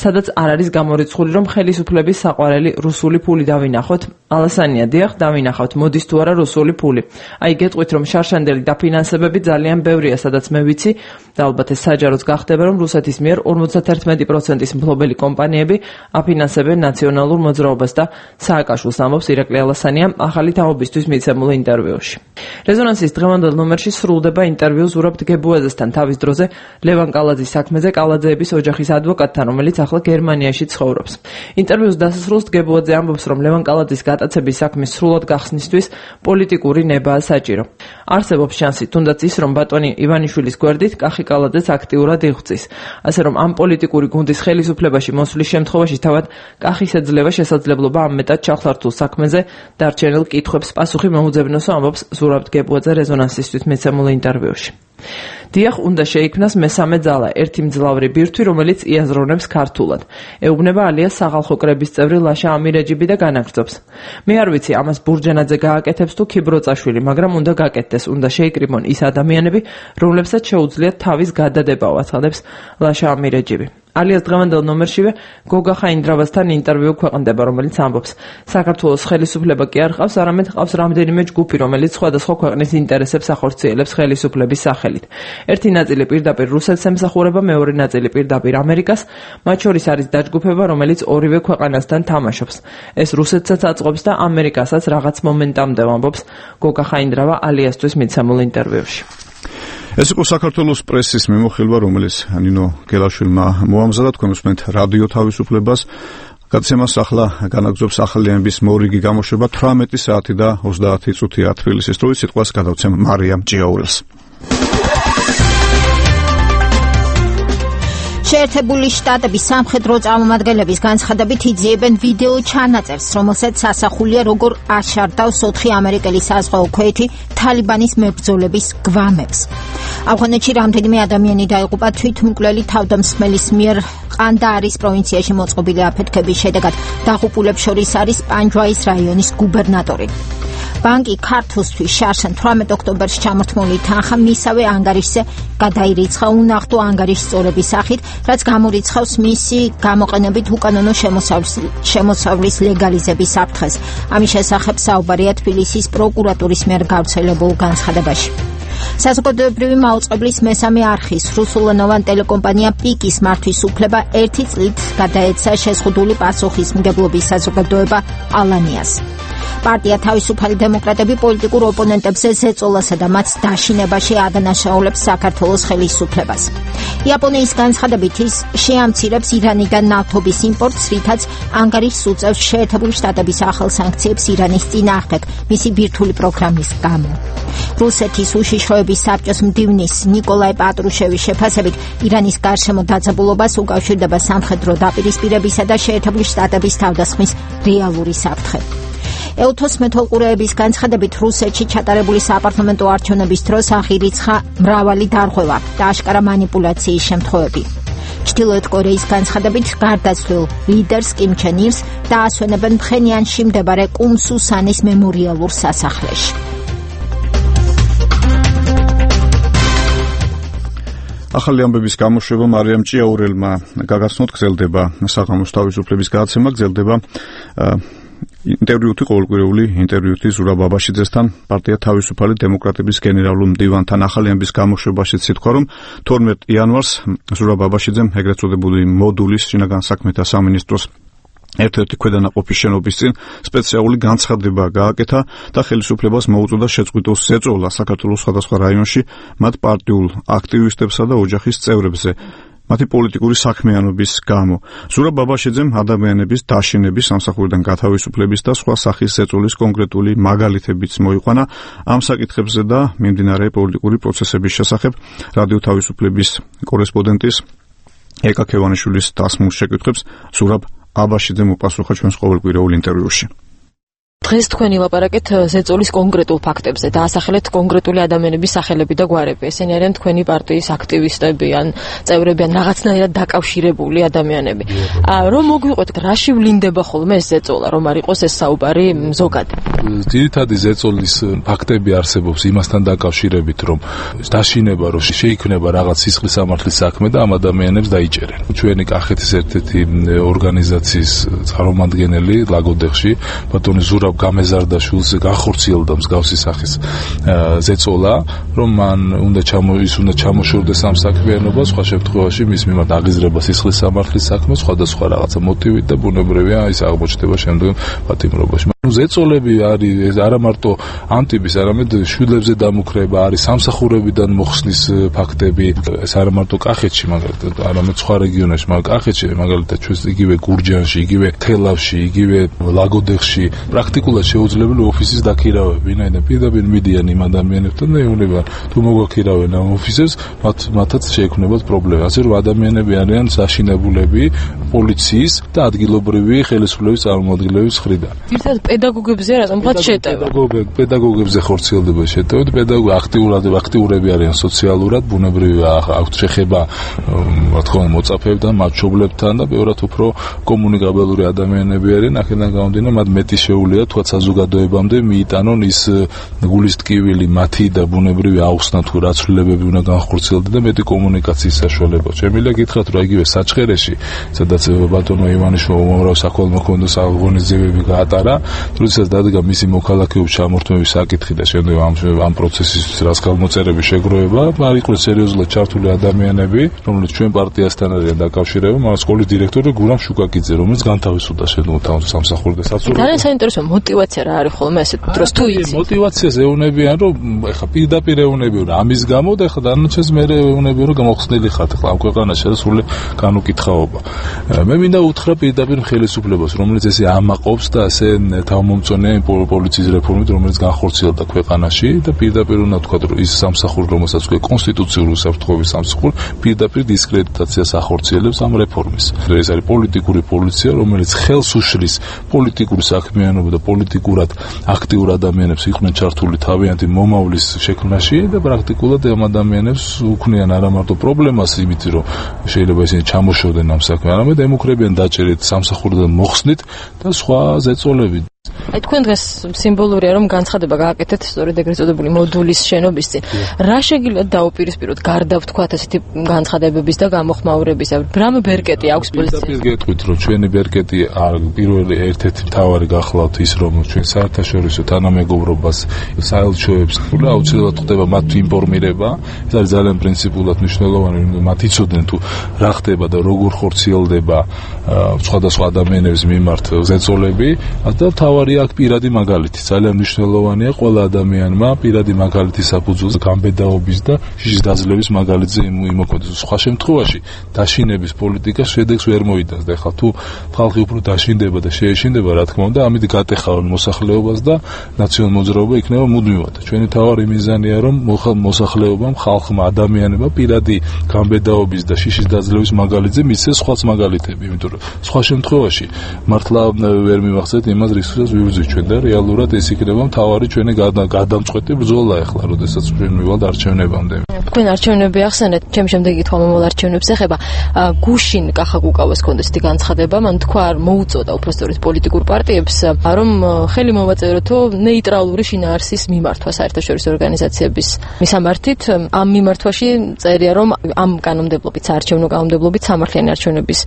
სადაც არ არის გამორიცხული, რომ ხელისუფლების საყვარელი რუსული ფული დავინახოთ? ალასანია: დიახ, დავინახავთ, მოდის თუ არა რუსული ფული. აი გეტყვით, რომ შარშანდელი დაფინანსებები ძალიან ბევრია, სადაც მე ვიცი და ალბათ ეს საჯაროც გახდება, რომ რუსეთის მიერ ორმოცდაერთმეტი პროცენტის მფლობელი კომპანიები აფინანსებენ ნაციონალურ მოძრაობას და სააკაშვილს, ამბობს ირაკლი ალასანია ახალი თაობისთვის მიცემულ ინტერვიუში. რეზონანსის დღევანდელ ნომერში სრულდება ინტერვიუ ზურაბ გებუაძესთან თავის დროზე ლევან კალაძის საქმეზე კალაძეების ოჯახის ადვოკატთან, რომელიც ახლა გერმანიაში ცხოვრობს. ინტერვიუს დასასრულს გებუაძე ამბობს, რომ ლევან კალაძის გატაცების საქმის სრულად გახსნისთვის პოლიტიკური ნებაა საჭირო. არსებობს შანსი, თუნდაც ის, რომ ბატონი ივანიშვილის გვერდით კახი კალაძეც აქტიურად იღვწის. ასე რომ ამ პოლიტიკური გუნდის ხელისუფლებაში მოსვლის შემთხვევაში თავად კახის ეძლევა შესაძლებლობა ამ მეტად ჩახლართულ საქმეზე დარჩენილ კითხვებს პასუხი მოუძებნოსო, ამბობს ზურაბ გებუაძე რეზონანსისთვის მიცემულ ინტერვიუში. დიახ, უნდა შეიქმნას მესამე ძალა, ერთი მძლავრი ბირთვი, რომელიც იაზრონებს ქართულად. ეუბნება ალიას სახალხო კრების წევრი ლაშა ამირეჯიბი და განაგრძობს. მე არ ვიცი, ამას ბურჯანაძე გააკეთებს თუ ქიბროწაშვილი, მაგრამ უნდა გაკეთდეს. გააკეთდეს, უნდა შეიკრიბონ ის ადამიანები, რომლებსაც შეუძლიათ თავის გადადებაო, აცხადებს ლაშა ამირეჯიბი. ალიას დღევანდელ ნომერშივე გოგა ხაინდრავასთან ინტერვიუ ქვეყნდება, რომელიც ამბობს, საქართველოს ხელისუფლება კი არ ყავს, არამედ ყავს რამდენიმე ჯგუფი, რომელიც სხვადასხვა ქვეყნის ინტერესებს ახორციელებს ხელისუფლების სახელით. ერთი ნაწილი პირდაპირ რუსეთს ემსახურება, მეორე ნაწილი პირდაპირ ამერიკას, მათ შორის არის დაჯგუფება, რომელიც ორივე ქვეყანასთან თამაშობს. ეს რუსეთსაც აწყობს და ამერიკასაც რაღაც მომენტამდე, ამბობს გოგა ხაინდრავა ალიასთვის მიცემულ ინტერვიუში. ეს იყო საქართველოს პრესის მიმოხილვა, რომელიც ნინო გელაშვილმა მოამზადა. თქვენ უსმენთ რადიო თავისუფლებას. გადაცემას ახლა განაგრძობს ახალიანების მორიგი გამოშვება თვრამეტი საათი და ოცდაათი წუთია თბილისის დროით. სიტყვას გადავცემ მარიამ ჭიაურელს. შეერთებული შტატების სამხედრო წარმომადგენლების განცხადებით იძიებენ ვიდეო ჩანაწერს, რომელსაც ასახულია როგორ აშარდავს ოთხი ამერიკელი საზღვაო ქვეითი თალიბანის მებრძოლების გვამებს. ავღანეთში რამდენიმე ადამიანი დაიღუპა თვითმკვლელი თავდამსხმელის მიერ ყანდაარის პროვინციაში მოწყობილი აფეთქების შედეგად. დაღუპულებს შორის არის პანჯვაის რაიონის გუბერნატორი. ბანკი ქართლისთვის შარშან თვრამეტ ოქტომბერში ჩამორთმული თანხა მისავე ანგარიშზე გადაირიცხა უნახტო ანგარიშის წორების სახით, რაც გამორიცხავს მისი გამოყენებით უკანონო შემოსავლის ლეგალიზების საფრთხეს. ამის შესახებ საუბარია თბილისის პროკურატურის მიერ გავრცელებულ განცხადებაში. საზოგადოებრივი მაუწყებლის მესამე არხის რუსულენოვან ტელეკომპანია პიკის მართვის უფლება ერთი წლით გადაეცა შეზღუდული პასუხისმგებლობის საზოგადოება ალანიას. პარტია თავისუფალი დემოკრატები პოლიტიკურ ოპონენტებზე ზეწოლასა და მათ დაშინებაში ადანაშაულებს საქართველოს ხელისუფლებას. იაპონიის განცხადებით ის შეამცირებს ირანიდან ნავთობის იმპორტს, რითაც ანგარიშს უწევს შეერთებული შტატების ახალ სანქციებს ირანის წინააღმდეგ მისი ბირთვული პროგრამის გამო. რუსეთის უშიშროების საბჭოს მდივნის ნიკოლაი პატრუშევის შეფასებით ირანის გარშემო დაძაბულობას უკავშირდება სამხედრო დაპირისპირებისა და შეერთებული შტატების თავდასხმის რეალური საფრთხე. ელთოს მეთვალყურეების განცხადებით რუსეთში ჩატარებული საპარლამენტო არჩევნების დროს აღირიცხა მრავალი დარღვევა და აშკარა მანიპულაციის შემთხვევები. ჩრდილოეთ კორეის განცხადებით გარდაცვლილ ლიდერს კიმ ჩენ ირს დაასვენებენ ფხენიანში მდებარე კუმსუსანის მემორიალურ სასახლეში. ახალი ამბების გამოშვება მარიამ ჭიაურელმა გაგაცნოთ, გრძელდება საღამოს თავისუფლების გადაცემა, გრძელდება ინტერვიუთი ყოველკვირეული ინტერვიუთი ზურაბ აბაშიძესთან, პარტია თავისუფალი დემოკრატების გენერალურ მდივანთან. ახალი ამბის გამოშვებაში სიტყვა, რომ თორმეტ იანვარს ზურაბ აბაშიძემ ეგრეთ წოდებული მოდულის შინაგან საქმეთა სამინისტროს ერთ-ერთი ქვედანაყოფის შენობის წინ სპეციალური განცხადება გააკეთა და ხელისუფლებას მოუწოდა შეწყვიტოს ზეწოლა საქართველოს სხვადასხვა რაიონში მათ პარტიულ აქტივისტებსა და ოჯახის წევრებზე მათი პოლიტიკური საქმიანობის გამო. ზურაბ აბაშიძემ ადამიანების დაშინების, სამსახურიდან გათავისუფლების და სხვა სახის ზეწოლის კონკრეტული მაგალითებიც მოიყვანა. ამ საკითხებზე და მიმდინარე პოლიტიკური პროცესების შესახებ რადიო თავისუფლების კორესპონდენტის ეკა ქევანიშვილის დასმულ შეკითხვებს ზურაბ აბაშიძემ უპასუხა ჩვენს ყოველკვირეულ ინტერვიუში. დღეს თქვენი ლაპარაკეთ ზეწოლის კონკრეტულ ფაქტებზე და ასახელეთ კონკრეტული ადამიანების სახელები და გვარები. ესენი არიან თქვენი პარტიის აქტივისტები ან წევრები ან რაღაცნაირად დაკავშირებული ადამიანები. რომ მოგვიყვეთ, რაში ვლინდება ხოლმე ეს ზეწოლა, რომ არ იყოს ეს საუბარი ზოგადი? ძირითადი ზეწოლის ფაქტები არსებობს იმასთან დაკავშირებით, რომ დაშინება რომ შეიქმნება რაღაც სისხლის სამართლის საქმე და ამ ადამიანებს დაიჭერენ. ჩვენი კახეთის ერთ-ერთი ორგანიზაციის წარმომადგენელი ლაგოდეხში, ბატონი ზურაბ გამეზარდაშვილს განხორციელდა მსგავსი სახის ზეწოლა, რომ მან უნდა ჩამო ის უნდა ჩამოშორდეს ამ საქმიანობას, სხვა შემთხვევაში მის მიმართ აღიზრება სისხლის სამართლის საქმე, სხვადასხვა რაღაცა მოტივით და ბუნებრივია ის აღმოჩნდება შემდგომ პატიმრობაში. ზეწოლები არის არა მარტო ამ ტიპის, არამედ შვილებზე დამუქრება, არის სამსახურებიდან მოხსნის ფაქტები, ეს არა მარტო კახეთში, მაგალითად, არამედ სხვა რეგიონებში, მაგრამ კახეთში, მაგალითად, ჩვენს იგივე გურჯანში, იგივე თელავში, იგივე ლაგოდეხში, პრაქტიკულად შეუძლებელი ოფისის დაქირავება, ვინაიდან პირდაპირ მიდიან იმ ადამიანებთან და ეუბნებიან, თუ მოგაქირავენ ამ ოფისებს, მათ მათაც შეექმნებათ პრობლემა. ასე რომ ადამიანები არიან საშინებულები პოლიციის და ადგილობრივი ხელისუფლების წარმომადგენლების მხრიდან. პედაგოგებზე რატომ ხარ შეტევა? პედაგოგებზე ხორციელდება შეტევა, პედაგოგი აქტიურად აქტიურები არიან სოციალურად, ბუნებრივია აქვთ შეხება, რა თქმა უნდა, მოწაფეებთან, მათშობლებთან და ბევრად უფრო კომუნიკაბელური ადამიანები არიან, აქედან გამომდინარე, მათ მეტი შეუძლია თქვა საზოგადოებამდე მიიტანონ ის გულის ტკივილი მათი და ბუნებრივი აუხსნა თუ რა ცვლილებები უნდა განხორციელდეს და მეტი კომუნიკაციის საშუალება. შემიძლია გითხრათ რომ იგივე საჩხერეში, სადაც ბატონმა ივანიშვილმა უმრავლეს საქველმოქმედო აღონიზებები გაატარა, როდესაც დადგა მისი მოქალაქეობის ჩამორთმევის საკითხი და შემდეგ ამ ამ პროცესისთვის რას გამოწერები შეგროვება, არ იყვნენ სერიოზულად ჩართული ადამიანები, რომლებიც ჩვენ პარტიასთან არიან დაკავშირებული, მაგრამ სკოლის დირექტორი გურამ შუკაკიძე, რომელიც განთავისუფლდა შედღუდა სამსახური და საცურველი. ძალიან საინტერესო мотиваცია რა არის ხოლმე ასეთ დროს თუ იცი. мотиваციას ეუნებიან რომ ეხა პირდაპირ ეუნებიან ამის გამო და ეხა დანარჩენს მე ეუნებიან რომ გამოხსნილი ხართ ეხლა ამ ქვეყანაში და სული განუკითხაობა. მე მინდა უთხრა პირდაპირ ხელისუფლებას, რომელიც ესე ამაყობს და ასე თავმომწონია პოლიციის რეფორმით, რომელიც განხორციელდა ქვეყანაში და პირდაპირ უნდა თქვა რომ ის სამსახური, რომელსაც ქვია კონსტიტუციური უსაფრთხოების სამსახური, პირდაპირ დისკრედიტაციას ახორციელებს ამ რეფორმის. ეს არის პოლიტიკური პოლიცია, რომელიც ხელს უშლის პოლიტიკური საქმიანობა და პოლიტიკურად აქტიურ ადამიანებს იყვნენ ჩართული თავიანთი მომავლის შექმნაში და პრაქტიკულად ამ ადამიანებს უქმნიან არა მარტო პრობლემას იმით რომ შეიძლება ისინი ჩამოშორდნენ ამ საქმეს, არამედ ემუქრებიან დაჭერით სამსახურიდან მოხსნით და სხვა ზეწოლებით. აი თქვენ დღეს სიმბოლურია რომ განცხადება გააკეთეთ სწორედ ეგრეთ წოდებული მოდულის შენობის წინ. რა შეგიძლიათ დაუპირისპიროთ გარდა ვთქვათ ესეთი განცხადებების და გამოხმაურებისა? რამ ბერკეტი აქვს პოლიციას? გეტყვით რომ ჩვენი ბერკეტი პირველი ერთ-ერთი მთავარი გახლავთ ის რომ ჩვენ საერთაშორისო თანამეგობრობას საელჩოებს და აუცილებლად ხდება მათ ინფორმირება. ეს არის ძალიან პრინციპულად მნიშვნელოვანი, მათ იცოდნენ თუ რა ხდება და როგორ ხორციელდება სხვადასხვა ადამიანების მიმართ ზეწოლები და თავარია აქ პირადი მაგალითი. ძალიან მნიშვნელოვანია ყველა ადამიანმა პირადი მაგალითის საფუძველზე გამბედაობის და შიშის დაძლევის მაგალითზე იმოქმედოს. სხვა შემთხვევაში დაშინების პოლიტიკა შედეგს ვერ მოიტანს და ეხლა თუ ხალხი უფრო დაშინდება და შეეშინდება, რა თქმა უნდა, ამით გატეხავენ მოსახლეობას და ნაციონალურ მოძრაობა იქნება მუდმივად. ჩვენი თავარი მიზანია რომ მოსახლეობამ, ხალხმა, ადამიანებმა პირადი გამბედაობის და შიშის დაძლევის მაგალითზე მისცეს სხვაც მაგალითები, იმიტომ რომ სხვა შემთხვევაში მართლა ვერ მივახცეთ იმას რისთვისაც ვიბრძვით ჩვენ და რეალურად ეს იქნება მთავარი ჩვენი გადამწყვეტი ბრძოლა ახლა, როდესაც ჩვენ მივალთ არჩევნებამდე. თქვენ არჩევნები ახსენეთ, ჩემ შემდეგი თქმა მომავალ არჩევნებს ეხება. გუშინ კახაკუკავას კონდეს თი განცხადება, მან თქვა მოუწოდა უბრალოდ პოლიტიკურ პარტიებს, რომ ხელი მოვაწეროთო ნეიტრალური შინაარსის მიმართვა საერთაშორისო ორგანიზაციების მისამართით. ამ მიმართვაში წერია რომ ამ კანონმდებლობით, საარჩევნო კანონმდებლობით სამართლიანი არჩევნების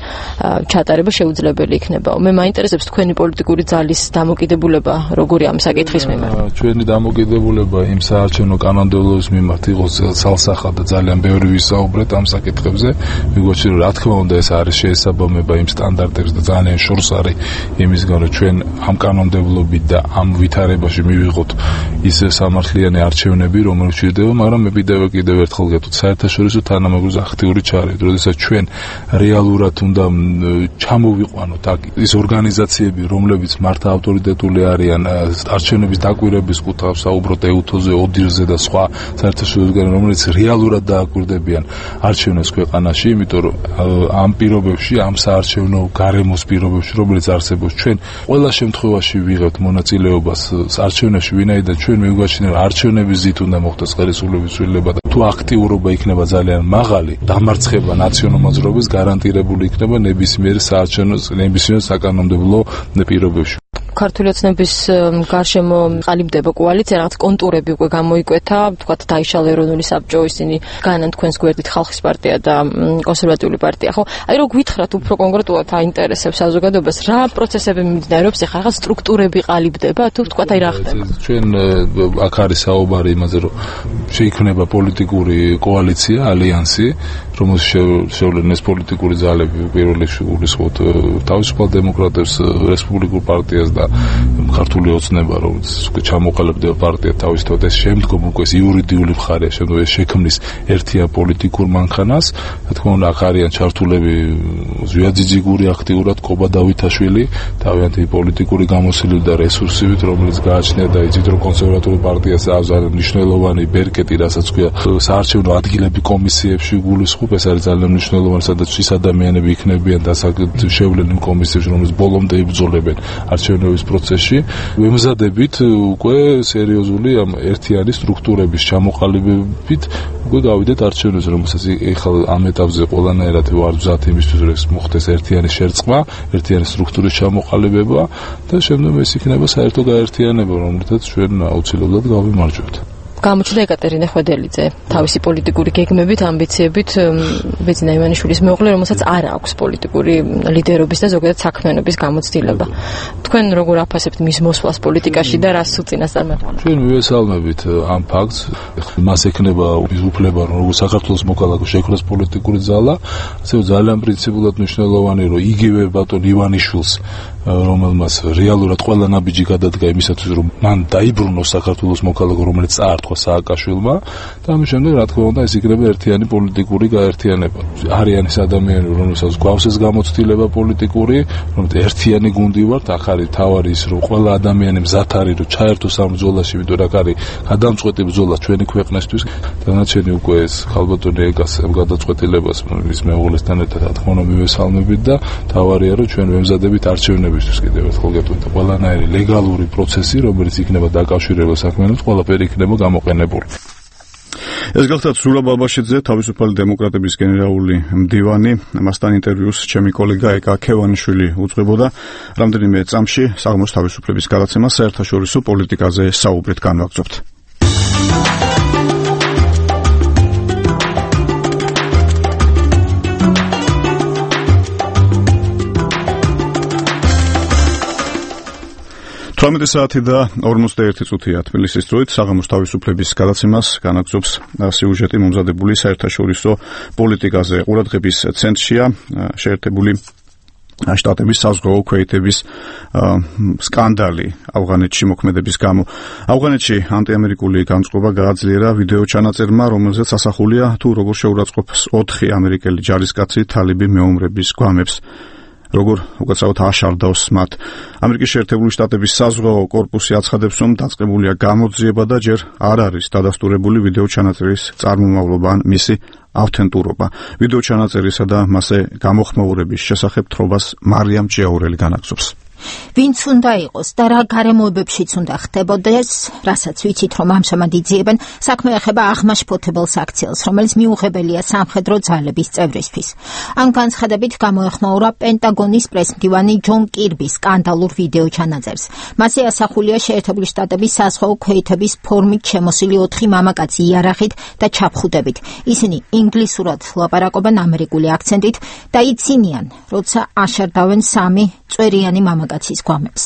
ჩატარება შეუძლებელი იქნება. მე მაინტერესებს თქვენი პოლიტიკური ძალის დამოკიდებულება როგორი ამ საკითხის მიმართ? ჩვენი დამოკიდებულება იმ საარჩევნო კანონმდებლობის მიმართ იყოს სალსახად და ძალიან ბევრი ვისაუბრეთ ამ საკითხებზე. მიგოჩი რომ რა თქმა უნდა ეს არის შეესაბამება იმ სტანდარტებს და ძალიან შორს არის იმისგან რომ ჩვენ ამ კანონმდებლობით და ამ ვითარებაში მივიღოთ ის სამართლიანი არჩევნები, რომელიც ჭირდება, მაგრამ მე კიდევ ერთხელ გეტყვით, საერთაშორისო თანამეგობრობის აქტიური ჩარევა, როდესაც ჩვენ რეალურად უნდა ჩამოვიყვანოთ აქ ის ორგანიზაციები, რომლებიც მართა ავტორიტეტული არიან არჩევნების დაკვირვების კუთხით, საუბრობთ ეუთოზე, ოდირზე და სხვა საერთაშორისო ორგანიზაციებთან, რომელიც რეალურად დააკვირდებიან არჩევნებს ქვეყანაში, იმიტომ რომ ამ პირობებში, ამ საარჩევნო გარემოს პირობებში, რომელიც არსებობს, ჩვენ ყველა შემთხვევაში ვიღებთ მონაწილეობას არჩევნებში, ვინაიდან ჩვენ მიგვაჩნია, რომ არჩევნების ზით უნდა მოხდეს ხელისუფლების ცვლილება და თუ აქტიურობა იქნება ძალიან მაღალი, დამარცხება ნაციონალურ მოძრაობის გარანტირებული იქნება ნებისმიერ საარჩევნო, ნებისმიერ საკანონმდებლო პირობებში. ქართული ოცნების გარშემო ყალიბდება კოალიცია, რაღაც კონტურები უკვე გამოიკვეთა, თქვათ დაიშალა ეროვნული საბჭო, ისინი განან თქვენს გვერდით ხალხის პარტია და კონსერვატიული პარტია, ხო? აი რო გითხრათ უფრო კონკრეტულად აინტერესებს საზოგადოებას, რა პროცესები მიმდინარეობს, ეხლა რაღაც სტრუქტურები ყალიბდება, თუ თქვათ აი რა ხდება? ჩვენ აქ არის საუბარი იმაზე, რომ შეიქმნება პოლიტიკური კოალიცია, ალიანსი, რომელშიც შევლენ ეს პოლიტიკური ძალები, პირველ რიგში გულისხმობთ თავისუფალ დემოკრატებს, რესპუბლიკურ პარტიას და ქართული ოცნება, რომელიც უკვე ჩამოყალიბდება პარტია თავისთავად, ეს შემდგომ უკვე ეს იურიდიული მხარეა, შემდგომ ეს შექმნის ერთიან პოლიტიკურ მანქანას. რა თქმა უნდა, აქ არიან ჩართულები ზვიაძიძიგური აქტიურად კობა დავითაშვილი, თავიანთი პოლიტიკური გამოსილებით და რესურსებით, რომელიც გააჩნია და იცით, რომ კონსერვატული პარტიას აქვს ძალიან მნიშვნელოვანი ბერკეტი, რასაც ქვია საარჩევნო ადგილები კომისიებში გულისხმობ, ეს არის ძალიან მნიშვნელოვანი, სადაც ის ადამიანები იქნებიან და შევლენ იმ კომისიებში, რომელიც ბოლომდე იბრძოლებენ არჩევნების დაკავშირების პროცესში ვემზადებით უკვე სერიოზული ამ ერთიანი სტრუქტურების ჩამოყალიბებით უკვე გავიდეთ არჩევნებზე, რომელსაც ეხლა ამ ეტაპზე ყველანაირად ვარ მზად იმისთვის, რომ მოხდეს ერთიანი შერწყმა, ერთიანი სტრუქტურის ჩამოყალიბება და შემდეგ ეს იქნება საერთო გაერთიანება, რომლითაც ჩვენ აუცილებლად გავიმარჯვებთ. გამოჩნდა ეკატერინე ხვედელიძე თავისი პოლიტიკური გეგმებით, ამბიციებით, ბეძინა ივანიშვილის მეუღლე, რომელსაც არ აქვს პოლიტიკური ლიდერობის და ზოგადად საქმიანობის გამოცდილება. თქვენ როგორ აფასებთ მის მოსვლას პოლიტიკაში და რას უწინასწარ მეყოლა? ჩვენ მივესალმებით ამ ფაქტს. მას ექნება უფლება, რომ როგორც საქართველოს მოქალაქე შექმნას პოლიტიკური ძალა, ასევე ძალიან პრინციპულად მნიშვნელოვანი, რომ იგივე ბატონ ივანიშვილს, რომელმაც რეალურად ყველა ნაბიჯი გადადგა იმისათვის, რომ მან დაიბრუნოს საქართველოს მოქალაქე, რომელიც წაართვა სააკაშვილმა და ამის შემდეგ რა თქმა უნდა ეს იქნება ერთიანი პოლიტიკური გაერთიანება. არიან ეს ადამიანები, რომელსაც გვაქვს ეს გამოცდილება პოლიტიკური, რომელიც ერთიანი გუნდი ვართ, ახ არის თავარი ის, რომ ყველა ადამიანი მზად არის, რომ ჩაერთოს ამ ბრძოლაში, იმიტომ რომ არის გადამწყვეტი ბრძოლა ჩვენი ქვეყნისთვის. დანარჩენი უკვე ეს ხალბატონი ეკას ამ გადაწყვეტილებას მის მეუღლესთან ერთად რა თქმა უნდა მივესალმებით და თავარია, რომ ჩვენ ვემზადებით არჩევნებისთვის კიდევ ერთხელ გეტყვით ყველანაირი ლეგალური პროცესი, რომელიც იქნება დაკავშირებული საქმიანობით, ყველაფერი იქნება გამოყენებული. ეს გახლავთ ზურაბ აბაშიძე, თავისუფალი დემოკრატების გენერალური მდივანი. მასთან ინტერვიუს ჩემი კოლეგა ეკა ქევანიშვილი უძღვებოდა. რამდენიმე წამში საღამოს თავისუფლების გადაცემა საერთაშორისო პოლიტიკაზე საუბრით განვაგრძობთ. თორმეტი საათი და ორმოცდაერთი წუთია თბილისის დროით საღამოს თავისუფლების გადაცემას განაგრძობს სიუჟეტი მომზადებული საერთაშორისო პოლიტიკაზე. ყურადღების ცენტრშია შეერთებული შტატების საზღვაო ქვეითების სკანდალი ავღანეთში მოქმედების გამო. ავღანეთში ანტიამერიკული განწყობა გააძლიერა ვიდეო ჩანაწერმა, რომელზეც ასახულია თუ როგორ შეურაცხყოფს ოთხი ამერიკელი ჯარისკაცი თალიბი მეომრების გვამებს. როგორ უკაცრავად აშარდავს მათ. ამერიკის შეერთებული შტატების საზღვაო კორპუსი აცხადებს, რომ დაწყებულია გამოძიება და ჯერ არ არის დადასტურებული ვიდეო ჩანაწერის წარმომავლობა ან მისი ავთენტურობა. ვიდეო ჩანაწერისა და მასზე გამოხმაურების შესახებ თრობას მარიამ ჭიაურელი განაგრძობს. ვინც უნდა იყოს და რა გარემოებებშიც უნდა ხდებოდეს, რასაც ვიცით, რომ ამჟამად იძიებენ, საქმე ეხება აღმაშფოთებელ საქციელს, რომელიც მიუღებელია სამხედრო ძალების წევრისთვის. ამ განცხადებით გამოეხმაურა პენტაგონის პრესმდივანი ჯონ კირბის სკანდალურ ვიდეო ჩანაწერს. მასზე ასახულია შეერთებული შტატების საზღვაო ქვეითების ფორმით შემოსილი ოთხი მამაკაცი იარაღით და ჩაფხუდებით. ისინი ინგლისურად ლაპარაკობენ ამერიკული აქცენტით და იცინიან, როცა აშარდავენ სამი წვერიანი მამაკაცის გვამებს.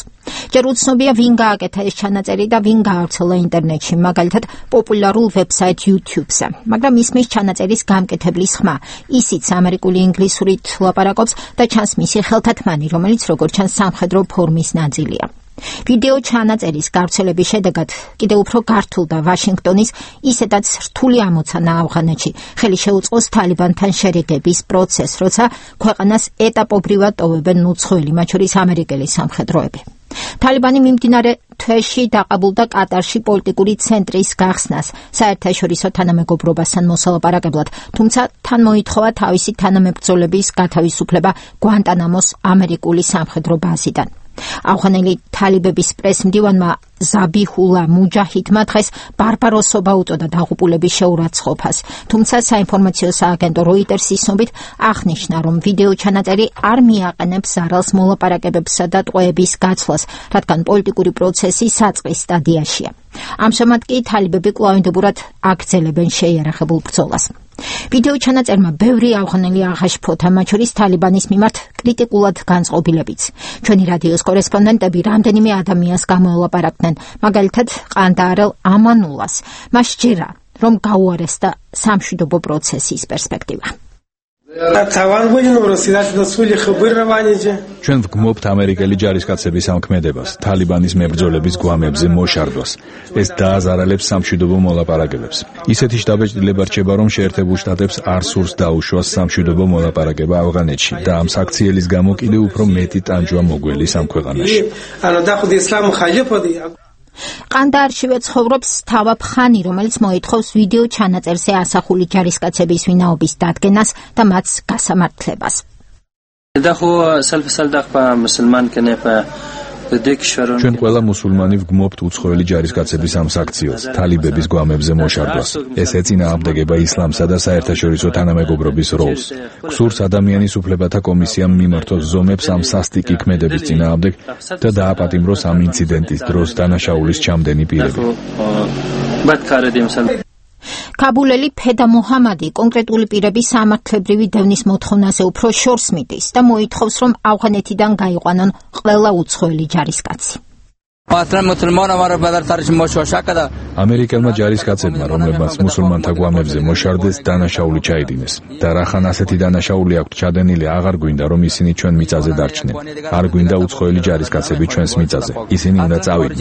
ჯერ უცნობია, ვინ გააკეთა ეს ჩანაწერი და ვინ გაავრცელა ინტერნეტში, მაგალითად პოპულარულ ვებსაიტ YouTube-ზე. მაგრამ ისმის ჩანაწერის გამკეთებლის ხმა. ისიც ამერიკული ინგლისურით ლაპარაკობს და ჩანს მისი ხელთათმანი, რომელიც როგორც ჩანს სამხედრო ფორმის ნაწილია. ვიდეო ჩანაწერის გავრცელების შედეგად კიდევ უფრო გართულდა ვაშინგტონის ისედაც რთული ამოცანა ავღანეთში. ხელი შეუწყოს თალიბანთან შერიგების პროცესს, როცა ქვეყანას ეტაპობრივად ტოვებენ უცხოელი, მათ შორის ამერიკელი სამხედროები. თალიბანი მიმდინარე თვეში დაყაბულდა კატარში პოლიტიკური ცენტრის გახსნას საერთაშორისო თანამეგობრობასთან მოსალაპარაკებლად, თუმცა თან მოითხოვა თავისი თანამებრძოლების გათავისუფლება გვანტანამოს ამერიკული სამხედრო ბაზიდან. ავღანელი თალიბების პრესმდივანმა ზაბიჰულა მუჯაჰიდმა დღეს ბარბაროსობა უწოდა დაღუპულების შეურაცხყოფას, თუმცა საინფორმაციო სააგენტო როიტერსის ცნობით აღნიშნა, რომ ვიდეო ჩანაწერი არ მიაყენებს ზარალს მოლაპარაკებებსა და ტყვეების გაცვლას, რადგან პოლიტიკური პროცესი საწყის სტადიაშია. ამჟამად კი თალიბები კვლავინდებურად აგრძელებენ შეიარაღებულ ბრძოლას. ვიდეო ჩანაწერმა ბევრი ავღანელი აღაშფოთა, მათ შორის თალიბანის მიმართ კრიტიკულად განწყობილებიც. ჩვენი რადიოს კორესპონდენტები რამდენიმე ადამიანს გამოელაპარაკდნენ, მაგალითად ყანდაარელ ამანულას. მას სჯერა, რომ გაუარესდა სამშვიდობო პროცესის პერსპექტივა. ჩვენ ვგმობთ ამერიკელი ჯარისკაცების ამქმედებას, თალიბანის მებრძოლების გვამებზე მოშარდვას. ეს დააზარალებს სამშვიდობო მოლაპარაკებებს. ისეთი შთაბეჭდილება რჩება, რომ შეერთებულ შტატებს არ სურს დაუშვას სამშვიდობო მოლაპარაკება ავღანეთში და ამ საქციელის გამო კიდევ უფრო მეტი ტანჯვა მოგველის ამ ქვეყანაში. ყანდაარშივე ცხოვრობს თავაბ ხანი, რომელიც მოითხოვს ვიდეო ჩანაწერზე ასახული ჯარისკაცების ვინაობის დადგენას და მათ გასამართლებას. ჩვენ ყველა მუსულმანი ვგმობთ უცხოელი ჯარისკაცების ამ საქციელს, თალიბების გვამებზე მოშარდვას. ეს ეწინააღმდეგება ისლამსა და საერთაშორისო თანამეგობრობის როლს. გსურს ადამიანის უფლებათა კომისიამ მიმართოს ზომებს ამ სასტიკი ქმედების წინააღმდეგ და დააპატიმროს ამ ინციდენტის დროს დანაშაულის ჩამდენი პირები. კაბულელი ფედა მუჰამადი კონკრეტული პირების სამართლებრივი დევნის მოთხოვნაზე უფრო შორს მიდის და მოითხოვს, რომ ავღანეთიდან გაიყვანონ ყველა უცხოელი ჯარისკაცი. ამერიკელმა ჯარისკაცებმა, რომლებმაც მუსულმანთა გვამებზე მოშარდეს, დანაშაული ჩაიდინეს. და რახან ასეთი დანაშაული აქვთ ჩადენილი, აღარ გვინდა, რომ ისინი ჩვენ მიწაზე დარჩნენ. არ გვინდა უცხოელი ჯარისკაცები ჩვენს მიწაზე. ისინი უნდა წავიდნენ.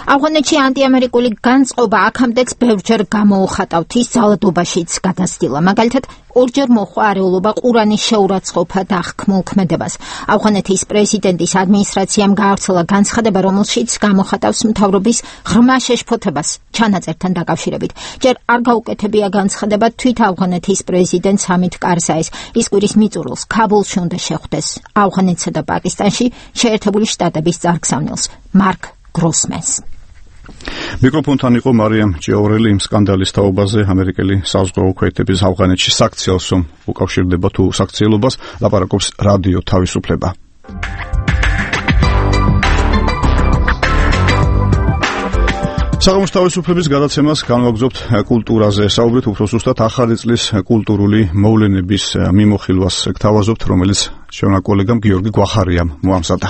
ავღანეთში ანტიამერიკული განწყობა აქამდეც ბევრჯერ გამოუხატავთ ის ძალადობაშიც გადასტილა. მაგალითად, ორჯერ მოხვა არეულობა ყურანის შეურაცხყოფა და აღქმულ ქმედებას. ავღანეთის პრეზიდენტის ადმინისტრაციამ გაავრცელა განცხადება, რომელშიც გამოხატავს მთავრობის ღრმა შეშფოთებას ჩანაწერთან დაკავშირებით. ჯერ არ გაუკეთებია განცხადება თვით ავღანეთის პრეზიდენტ ჰამიდ კარზაის. ის კვირის მიწურულს ქაბულში უნდა შეხვდეს ავღანეთსა და პაკისტანში შეერთებული შტატების წარგზავნილს მარკ გროსმენს. მიკროფონთან იყო მარიამ ჭიაურელი იმ სკანდალის თაობაზე ამერიკელი საზღვაო ქვეითების ავღანეთში საქციელს უკავშირდება თუ საქციელობას ლაპარაკობს რადიო თავისუფლება. საღამოს თავისუფლების გადაცემას განვაგრძობთ კულტურაზე. საუბრით უფრო ზუსტად ახალი წლის კულტურული მოვლენების მიმოხილვას გთავაზობთ, რომელიც ჩვენმა კოლეგამ გიორგი გვახარიამ მოამზადა.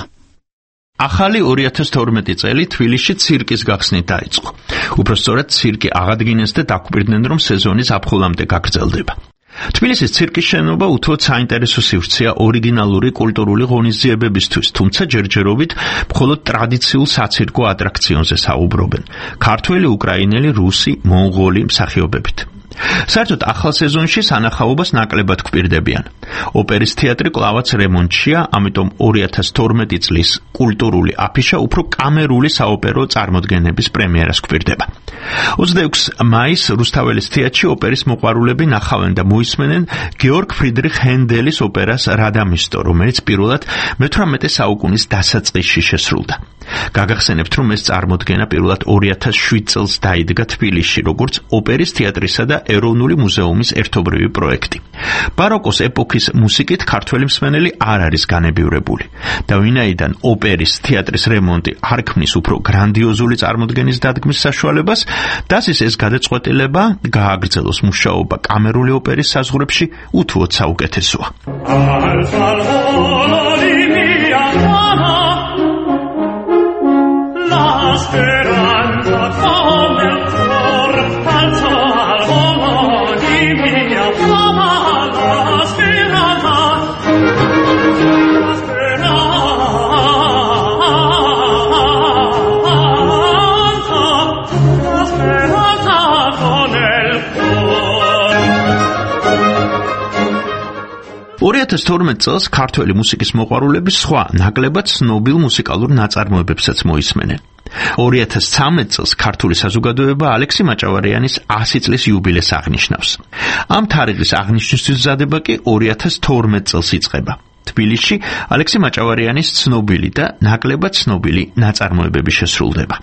ახალი ორი ათას თორმეტი წელი თბილისში ცირკის გახსნით დაიწყო. უпростоრად ცირკი აღადგინეს და დაგვირდნენ, რომ სეზონი ზაფხულამდე გაგრძელდება. თბილისის ცირკის შენობა უთუოდ საინტერესო სივრცეა ორიგინალური კულტურული ღონისძიებებისთვის, თუმცა ჯერჯერობით მხოლოდ ტრადიციულ საცირკო ატრაქციონზე საუბრობენ. ქართველი, უკრაინელი, რუსი, მონღოლი მსახიობებით. საერთოდ ახალ სეზონში სანახაობას ნაკლებად გვპირდებიან. ოპერის თეატრი კლავაც რემონტშია, ამიტომ ორი ათას თორმეტი წლის კულტურული აფიშა უფრო კამერული საოპერო წარმოდგენების პრემიერას გვპირდება. ოცდაექვსი მაისს რუსთაველის თეატრში ოპერის მოყვარულები ნახავენ და მოისმენენ გეორგ ფრიდრიხ ჰენდელის ოპერას რადამისტო, რომელიც პირველად მეთვრამეტე საუკუნის დასაწყისში შესრულდა. გაგახსენებთ, რომ ეს წარმოდგენა პირველად ორი ათას შვიდ წელს დაიდგა თბილისში, როგორც ოპერის თეატრისა და ეროვნული მუზეუმის ერთობრივი პროექტი. ბაროკოს ეპოქის მუსიკით ქართველი მსმენელი არ არის განებივრებული. და ვინაიდან ოპერის თეატრის რემონტი არ ქმნის უფრო გრანდიოზული წარმოდგენის დადგმის საშუალებას, დასის ეს გადაწყვეტილება გააგრძელოს მუშაობა კამერული ოპერის საზღვრებში უთუოდ საუკეთესოა. ორი ათას თორმეტ წელს ქართველი მუსიკის მოყვარულები სხვა ნაკლებად ცნობილ მუსიკალურ ნაწარმოებებსაც მოისმენენ. ორი ათას ცხრამეტ წელს ქართული საზოგადოება ალექსი მაჭავარიანის ასი წლის იუბილეს აღნიშნავს. ამ თარიღის აღნიშვნისთვის მზადება კი ორი ათას თორმეტ წელს იწყება. თბილისში ალექსი მაჭავარიანის ცნობილი და ნაკლებად ცნობილი ნაწარმოებები შესრულდება.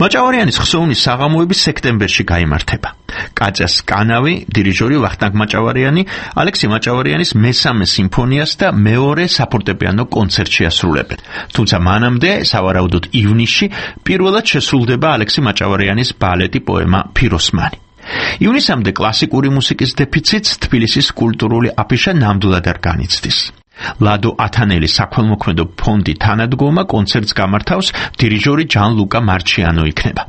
მაჭავარიანის ხსოვნის საღამოები სექტემბერში გაიმართება. კაჭას კანავი, დირიჟორი ვახტანგ მაჭავარიანი, ალექსი მაჭავარიანის მესამე სიმფონიას და მეორე საფორტეპიანო კონცერტში ასრულებენ. თუმცა მანამდე, სავარაუდოდ ივნისში, პირველად შესრულდება ალექსი მაჭავარიანის ბალეტი პოემა ფიროსმანი. ივნისამდე კლასიკური მუსიკის დეფიციტს თბილისის კულტურული აფიშა ნამდვილად არ განიცდის. ლადო ათანელის საქველმოქმედო ფონდი თანადგომა კონცერტს გამართავს დირიჟორი ჯან ლუკა მარჩიანო იქნება.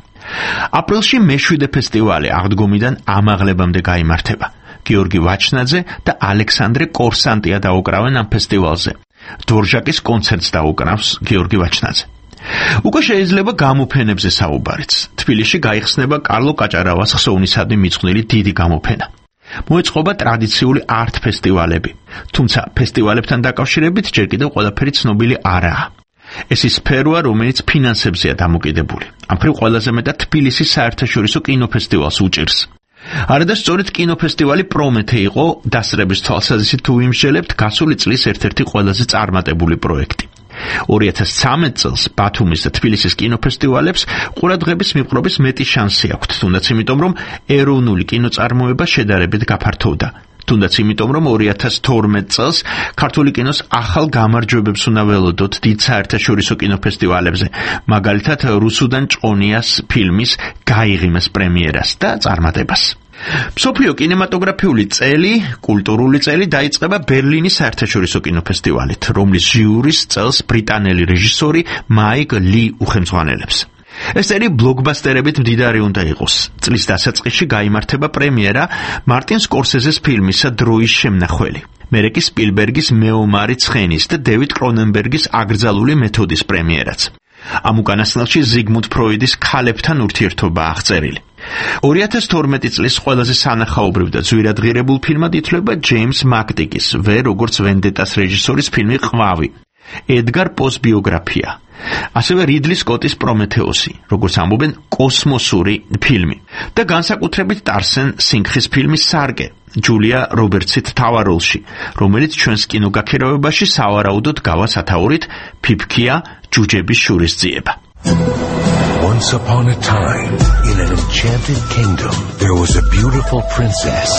აპრილში მეშვიდე ფესტივალი აღდგომიდან ამაღლებამდე გაიმართება. გიორგი ვაჩნაძე და ალექსანდრე კორსანტია დაუკრავენ ამ ფესტივალზე. დორჟაკის კონცერტს დაუკრავს გიორგი ვაჩნაძე. უკვე შეიძლება გამოფენებზე საუბარიც. თბილისში გაიხსნება კარლო კაჭარავას ხსოვნისადმი მიძღვნილი დიდი გამოფენა. მოეწყობა ტრადიციული არტ ფესტივალები, თუმცა ფესტივალებთან დაკავშირებით ჯერ კიდევ ყველაფერი ცნობილი არაა. ეს ის სფეროა, რომელიც ფინანსებზეა დამოკიდებული. ამ მხრივ ყველაზე მეტად თბილისის საერთაშორისო კინოფესტივალს უჭირს. არადა სწორედ კინოფესტივალი პრომეთე იყო დასწრების თვალსაზრისით თუ ვიმსჯელებთ გასული წლის ერთ-ერთი ყველაზე წარმატებული პროექტი. ორი ათას ცხრამეტ წელს ბათუმის და თბილისის კინოფესტივალებს ყურადღების მიპყრობის მეტი შანსი აქვთ, თუნდაც იმიტომ, რომ ეროვნული კინოწარმოება შედარებით გაფართოვდა. თუნდაც იმიტომ, რომ ორი ათას თორმეტ წელს ქართული კინოს ახალ გამარჯვებებს უნდა ველოდოთ დიდ საერთაშორისო კინოფესტივალებზე, მაგალითად რუსუდან ჭყონიას ფილმის გაიღიმეს პრემიერას და წარმატებას. მსოფლიო კინემატოგრაფიული წელი, კულტურული წელი დაიწყება ბერლინის საერთაშორისო კინოფესტივალით, რომლის ჟიურის წელს ბრიტანელი რეჟისორი მაიკ ლი უხელმძღვანელებს. ეს წელი ბლოკბასტერებით მდიდარი უნდა იყოს. წლის დასაწყისში გაიმართება პრემიერა მარტინ სკორსეზეს ფილმისა დროის შემნახველი. მერე კი სპილბერგის მეომარი ცხენის და დევიდ კრონენბერგის აკრძალული მეთოდის პრემიერაც. ამ უკანასკნელში ზიგმუნდ ფროიდის ქალებთან ურთიერთობა აღწერილი. ორი ათას თორმეტი წლის ყველაზე სანახაობრივ და ძვირადღირებულ ფილმად ითვლება ჯეიმს მაკტიკის ვერ როგორც ვენდეტას რეჟისორის ფილმი ყვავი, ედგარ პოს ბიოგრაფია. ასევე რიდლი სკოტის პრომეთეოსი, როგორც ამბობენ კოსმოსური ფილმი და განსაკუთრებით ტარსენ სინგხის ფილმი სარკე, ჯულია რობერტსით მთავარ როლში, რომელიც ჩვენს კინოგაქირავებაში სავარაუდოდ გავა სათაურით ფიფქია ჯუჯების შურისძიება. Once upon a time, in an enchanted kingdom, there was a beautiful princess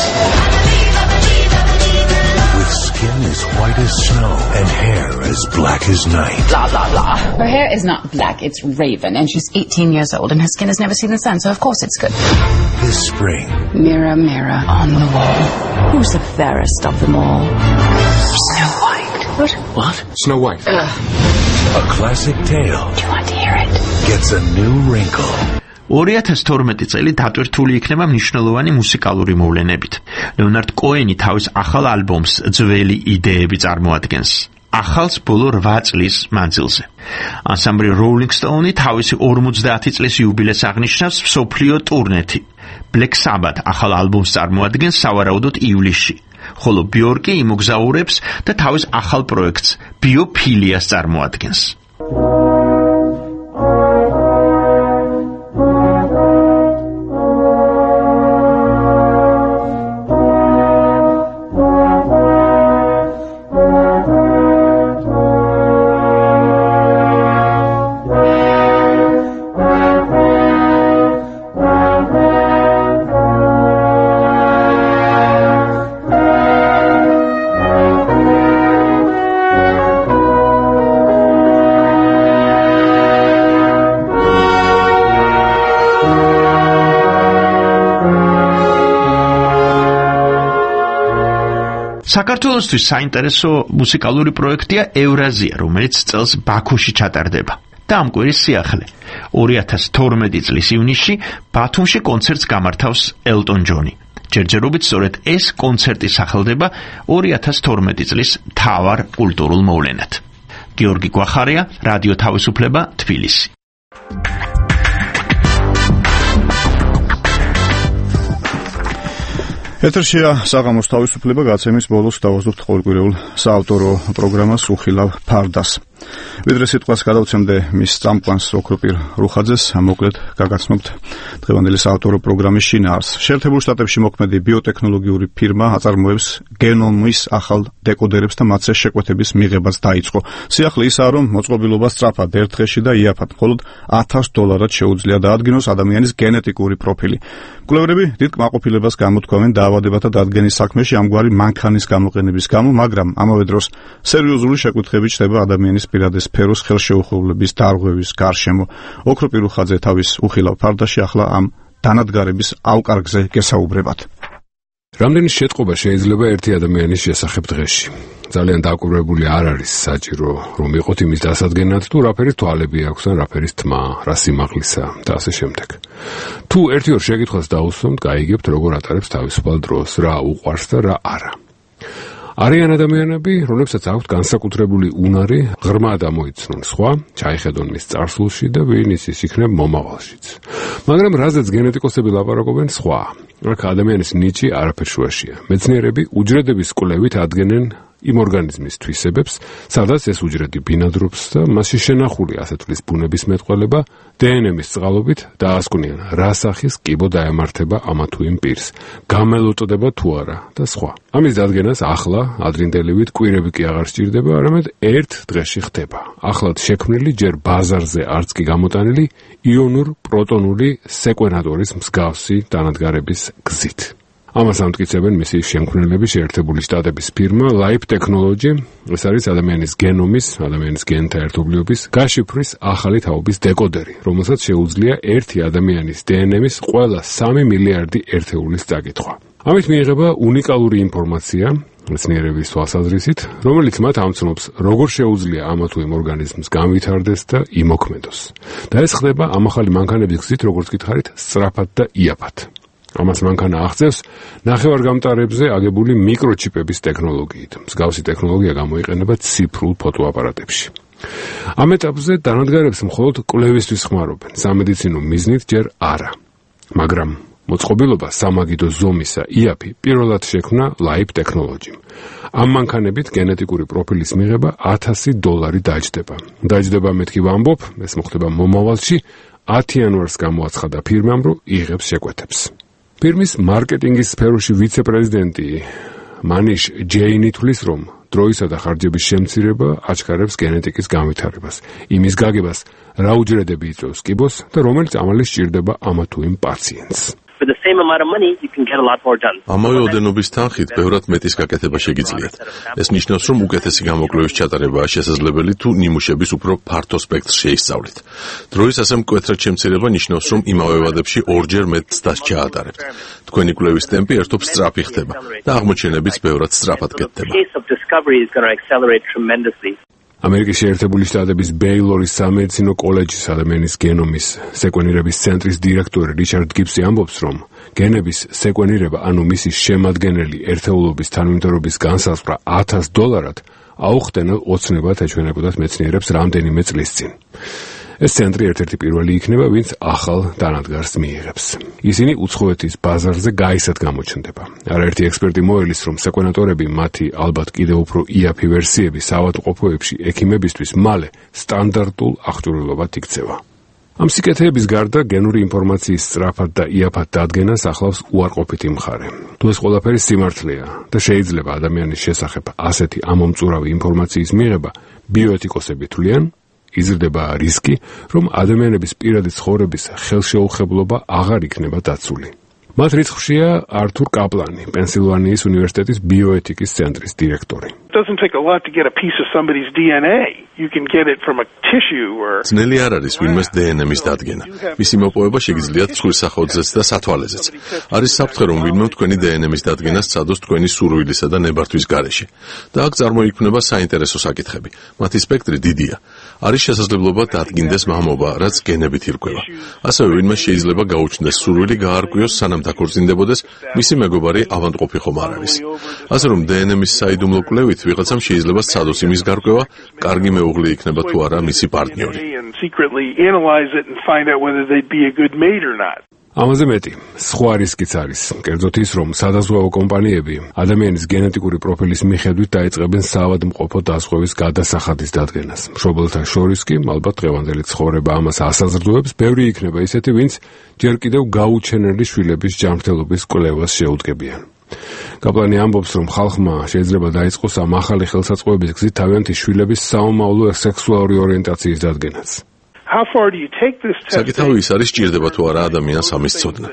with skin as white as snow and hair as black as night. Blah, blah, blah. Her hair is not black, it's raven, and she's eighteen years old, and her skin has never seen the sun, so of course it's good. This spring, mirror, mirror on the wall, who's the fairest of them all? Snow White. What? What? Snow White. Ugh. A classic tale. Do you want to hear it? Gets a new wrinkle. ორი ათას თორმეტი წელი დატვირთული იქნება მნიშვნელოვანი მუსიკალური მოვლენებით. ლეონარდ კოენი თავის ახალ ალბომს ძველი იდეები წარმოადგენს. ახალს ბოლო რვა წლის მანძილზე. ანსამბლი Rolling Stone თავისი ორმოცდაათი წლის იუბილეს აღნიშნავს მსოფლიო ტურნეთი. Black Sabbath ახალ ალბომს წარმოადგენს სავარაუდოდ ივლისში. ხოლო ბიორკი იმოგზაურებს და თავის ახალ პროექტს ბიოფილიას წარმოადგენს. საქართველოსთვის საინტერესო მუსიკალური პროექტია ევრაზია, რომელიც წელს ბაქოში ჩატარდება. და ამ კვირის სიახლე. ორი ათას თორმეტი წლის ივნისში ბათუმში კონცერტს გამართავს ელტონ ჯონი. ჯერჯერობით სწორედ ეს კონცერტი სახელდება ორი ათას თორმეტი წლის მთავარ კულტურულ მოვლენად. გიორგი გვახარია, რადიო თავისუფლება, თბილისი. ეთერშია საღამოს თავისუფლება გაცემის ბოლოს დავაზრდობთ ყოველკვირეულ საავტორო პროგრამას უხილავ ფარდას. ვიდრე სიტყვას გადავცემდე მის წამყვანს ოქროპირ რუხაძეს, მოკლედ გაგაცნობთ დღევანდელი საავტორო პროგრამის შინაარს. შეერთებულ შტატებში მოქმედი ბიოტექნოლოგიური ფირმა აწარმოებს გენომის ახალ დეკოდერებს და მათზე შეკვეთების მიღებაც დაიწყო. სიახლე ისაა, რომ მოწყობილობა სწრაფად ერთ დღეში და იაფად მხოლოდ ათას დოლარად შეუძლია დაადგინოს ადამიანის გენეტიკური პროფილი. კვლევრები დიდ კმაყოფილებას გამოთქვამენ დაავადებათა დადგენის საქმეში ამგვარი მანქანის გამოყენების გამო, მაგრამ ამავე დროს სერიოზული შეკითხვები ჩნდება ადამიანის პირადი სფეროს ხელშეუხებლობის დარღვევის გარშემო. ოქროპირ რუხაძე თავის უხილავ ფარდაში ახლა ამ დანადგარების ავკარგზე გესაუბრებათ. რამდენი შეტყობა შეიძლება ერთი ადამიანის შესახებ დღეში? ძალიან დაკვირვებული არ არის საჭირო რომ იყოთ იმის დასადგენად თუ რაფერი თვალები აქვს ან რაფერის თმა, რა სიმაღლისა და ასე შემდეგ. თუ ერთი ორ შეკითხვას დაუსვამთ, გაიგებთ როგორ ატარებს თავისუფალ დროს, რა უყვარს და რა არა. არიან ადამიანები, რომლებსაც აქვთ განსაკუთრებული უნარი, ღრმა დამოიცნონ სხვა, ჩაიხედონ მის წარსულში და ვინ იცის იქნებ მომავალშიც. მაგრამ რაზეც გენეტიკოსები ლაპარაკობენ სხვა. აქ ადამიანის ნიჭი არაფერ შუაშია. მეცნიერები უჯრედების კვლევით ადგენენ იმ ორგანიზმის თვისებებს, სადაც ეს უჯრედი ბინადრობს და მასში შენახული ასეთლის ბუნების მეტყველება დე ენ ემის წყალობით დაასკვნიან, რა სახის კიბო დაემართება ამა თუ იმ პირს, გამელოწოდება თუ არა და სხვა. ამის დადგენას ახლა ადრინდელივით კვირები კი აღარ სჭირდება, არამედ ერთ დღეში ხდება. ახლად შექმნილი, ჯერ ბაზარზე არც კი გამოტანილი იონურ პროტონული სეკვენატორის მსგავსი დანადგარების გზით. ამას ამტკიცებენ მისი შემქმნელები შეერთებული შტატების ფირმა Life Technology. ეს არის ადამიანის გენომის, ადამიანის გენთა ერთობლიობის გაშიფვრის ახალი თაობის დეკოდერი, რომელსაც შეუძლია ერთი ადამიანის დე ენ ემის ყველა სამი მილიარდი ერთეულის წაკითხვა. ამით მიიღება უნიკალური ინფორმაცია მეცნიერების თვალსაზრისით, რომელიც მათ ამცნობს, როგორ შეუძლია ამა თუ იმ ორგანიზმს განვითარდეს და იმოქმედოს. და ეს ხდება ამ ახალი მანქანების გზით, როგორც გითხარით, სწრაფად და იაფად. ამას მანქანა აღწევს ნახევარგამტარებზე აგებული მიკროჩიპების ტექნოლოგიით. მსგავსი ტექნოლოგია გამოიყენება ციფრულ ფოტოაპარატებში. ამ ეტაპზე დანადგარებს მხოლოდ კვლევისთვის ხმარობენ, სამედიცინო მიზნით ჯერ არა. მაგრამ მოწყობილობა სამაგიდო ზომისა იაფი პირველად შექმნა Life Technology. ამ მანქანებით გენეტიკური პროფილის მიღება ათასი დოლარი დაჯდება. დაჯდება მეთქი ვამბობ, ეს მოხდება მომავალში, ათი იანვარს გამოაცხადა ფირმამ, რომ იღებს შეკვეთებს. ფირმის მარკეტინგის სფეროში ვიცე-პრეზიდენტი მანიშ ჯეინი თვლის, რომ დროისა და ხარჯების შემცირება აჩქარებს გენეტიკის განვითარებას, იმის გაგებას, რა უჯრედები იწვევს კიბოს და რომელიც ამალი სჭირდება ამა თუ იმ პაციენტს. ამავე ოდენობის თანხით ბევრად მეტის გაკეთება შეგიძლიათ. ეს ნიშნავს, რომ უკეთესი გამოკვლევის ჩატარებაა შესაძლებელი თუ ნიმუშების უფრო ფართო სპექტრს შეისწავლით. დროის ასე მკვეთრად შემცირება ნიშნავს, რომ იმავე ვადებში ორჯერ მეტ ცდას ჩაატარებთ. თქვენი კვლევის ტემპი ერთობ სწრაფი ხდება და აღმოჩენებიც ბევრად სწრაფად კეთდება. ამერიკის შეერთებული შტატების ბეილორის სამედიცინო კოლეჯის ადამიანის გენომის სეკვენირების ცენტრის დირექტორი რიჩარდ გიბსი ამბობს, რომ გენების სეკვენირება, ანუ მისი შემადგენელი ერთეულობის თანმიმდევრობის განსაზღვრა ათას დოლარად აუხტენელ ოცნებად ეჩვენებოდათ მეცნიერებს რამდენიმე წლის წინ. ეს ცენტრი ერთ-ერთი პირველი იქნება, ვინც ახალ დანადგარს მიიღებს. ისინი უცხოეთის ბაზარზე გაისად გამოჩნდება. არაერთი ექსპერტი მოელის, რომ სეკვენატორები მათი ალბათ კიდევ უფრო იაფი ვერსიები საავადმყოფოებში ექიმებისთვის მალე სტანდარტულ აღჭურვილობად იქცევა. ამ სიკეთეების გარდა გენური ინფორმაციის სწრაფად და იაფად დადგენას ახლავს უარყოფითი მხარე. თუ ეს ყველაფერი სიმართლეა და შეიძლება ადამიანის შესახებ ასეთი ამომწურავი ინფორმაციის მიღება, ბიოეთიკოსები თვლიან, იზრდება რისკი, რომ ადამიანების პირადი ცხოვრების ხელშეუხებლობა აღარ იქნება დაცული. მათ რიცხვშია ართურ კაპლანი, პენსილვანიის უნივერსიტეტის ბიოეთიკის ცენტრის დირექტორი. ძნელი არ არის ვინმეს დე ენ ემის დადგენა. მისი მოპოვება შეგიძლიათ ცხვრის სახოთზეც და სათვალეზეც. არის საფრთხე, რომ ვინმე თქვენი დე ენ ემის დადგენას სცადოს თქვენი სურვილისა და ნებართვის გარეშე. და აქ წარმოიქმნება საინტერესო საკითხები. მათი სპექტრი დიდია. არის შესაძლებლობა დადგინდეს მამობა, რაც გენებით ირკვევა. ასევე ვინმე შეიძლება გაუჩნდეს სურვილი გაარკვიოს, სანამ დაქორწინდებოდეს, მისი მეგობარი ავადმყოფი ხომ არ არის. ასე რომ დე ენ ემის საიდუმლო კვლევით ვიღაცამ შეიძლება სცადოს იმის გარკვევა, კარგი მეუღლე იქნება თუ არა მისი პარტნიორი. ამაზე მეტი, სხვა რისკიც არის, კერძოდ ის, რომ სადაზღვევო კომპანიები ადამიანის გენეტიკური პროფილის მიხედვით დაიწყებენ საავადმყოფო დაზღვევის გადასახადის დადგენას. მშობელთა შორის კი, ალბათ დღევანდელი ცხოვრება ამას ასაზრდოებს, ბევრი იქნება ისეთი, ვინც ჯერ კიდევ გაუჩენელი შვილების ჯანმრთელობის კვლევას შეუდგებიან. კაპლანი ამბობს, რომ ხალხმა შეიძლება დაიწყოს ამ ახალი ხელსაწყოების გზით თავიანთი შვილების საომავლო სექსუალური ორიენტაციის დადგენაც. საკითხავი ის არის, ჭირდება თუ არა ადამიანს ამის ცოდნა.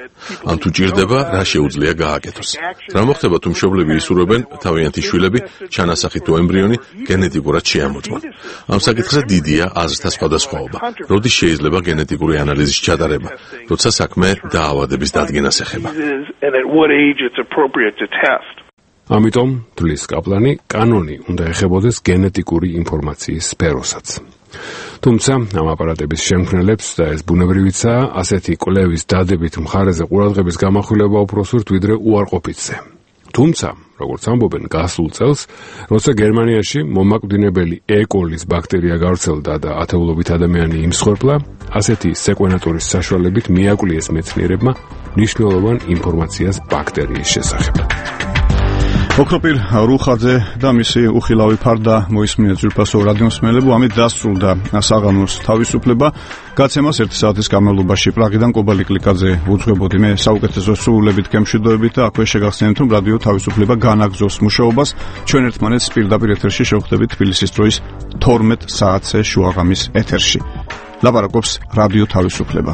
ან თუ ჭირდება, რა შეუძლია გააკეთოს. რა მოხდება თუ მშობლები ისურვებენ თავიანთი შვილები, ჩანასახი თუ ემბრიონი გენეტიკურად შეამოწმონ. ამ საკითხზე დიდია აზრთა სხვადასხვაობა. როდის შეიძლება გენეტიკური ანალიზის ჩატარება, როცა საქმე დაავადების დადგენას ეხება. ამიტომ თვლის კაპლანი კანონი უნდა ეხებოდეს გენეტიკური ინფორმაციის სფეროსაც. თუმცა ამ აპარატების შემქმნელებს და ეს ბუნებრივიცაა ასეთი კვლევის დადებით მხარეზე ყურადღების გამახვილება უფრო სურთ ვიდრე უარყოფითზე. თუმცა, როგორც ამბობენ, გასულ წელს, როცა გერმანიაში მომაკვდინებელი ეკოლის ბაქტერია გავრცელდა და ათეულობით ადამიანი იმსხვერპლა, ასეთი სეკვენატორის საშუალებით მიაკვლიეს მეცნიერებმა მნიშვნელოვან ინფორმაციას ბაქტერიის შესახებ. ოქროპირ რუხაძე და მისი უხილავი ფარდა მოისმინეთ ძვირფასო რადიომსმენელებო, ამით დასრულდა საღამოს თავისუფლება. გაცემას ერთი საათის განმავლობაში პრაღიდან კობალი კლიკაძე უძღვებოდი. მე საუკეთესო სრულებით გემშვიდობებით და აქვე შეგახსენებთ, რომ რადიო თავისუფლება განაგრძობს მუშაობას. ჩვენ ერთმანეთს პირდაპირ ეთერში შევხვდებით თბილისის დროის თორმეტ საათზე შუაღამის ეთერში. ლაპარაკობს რადიო თავისუფლება.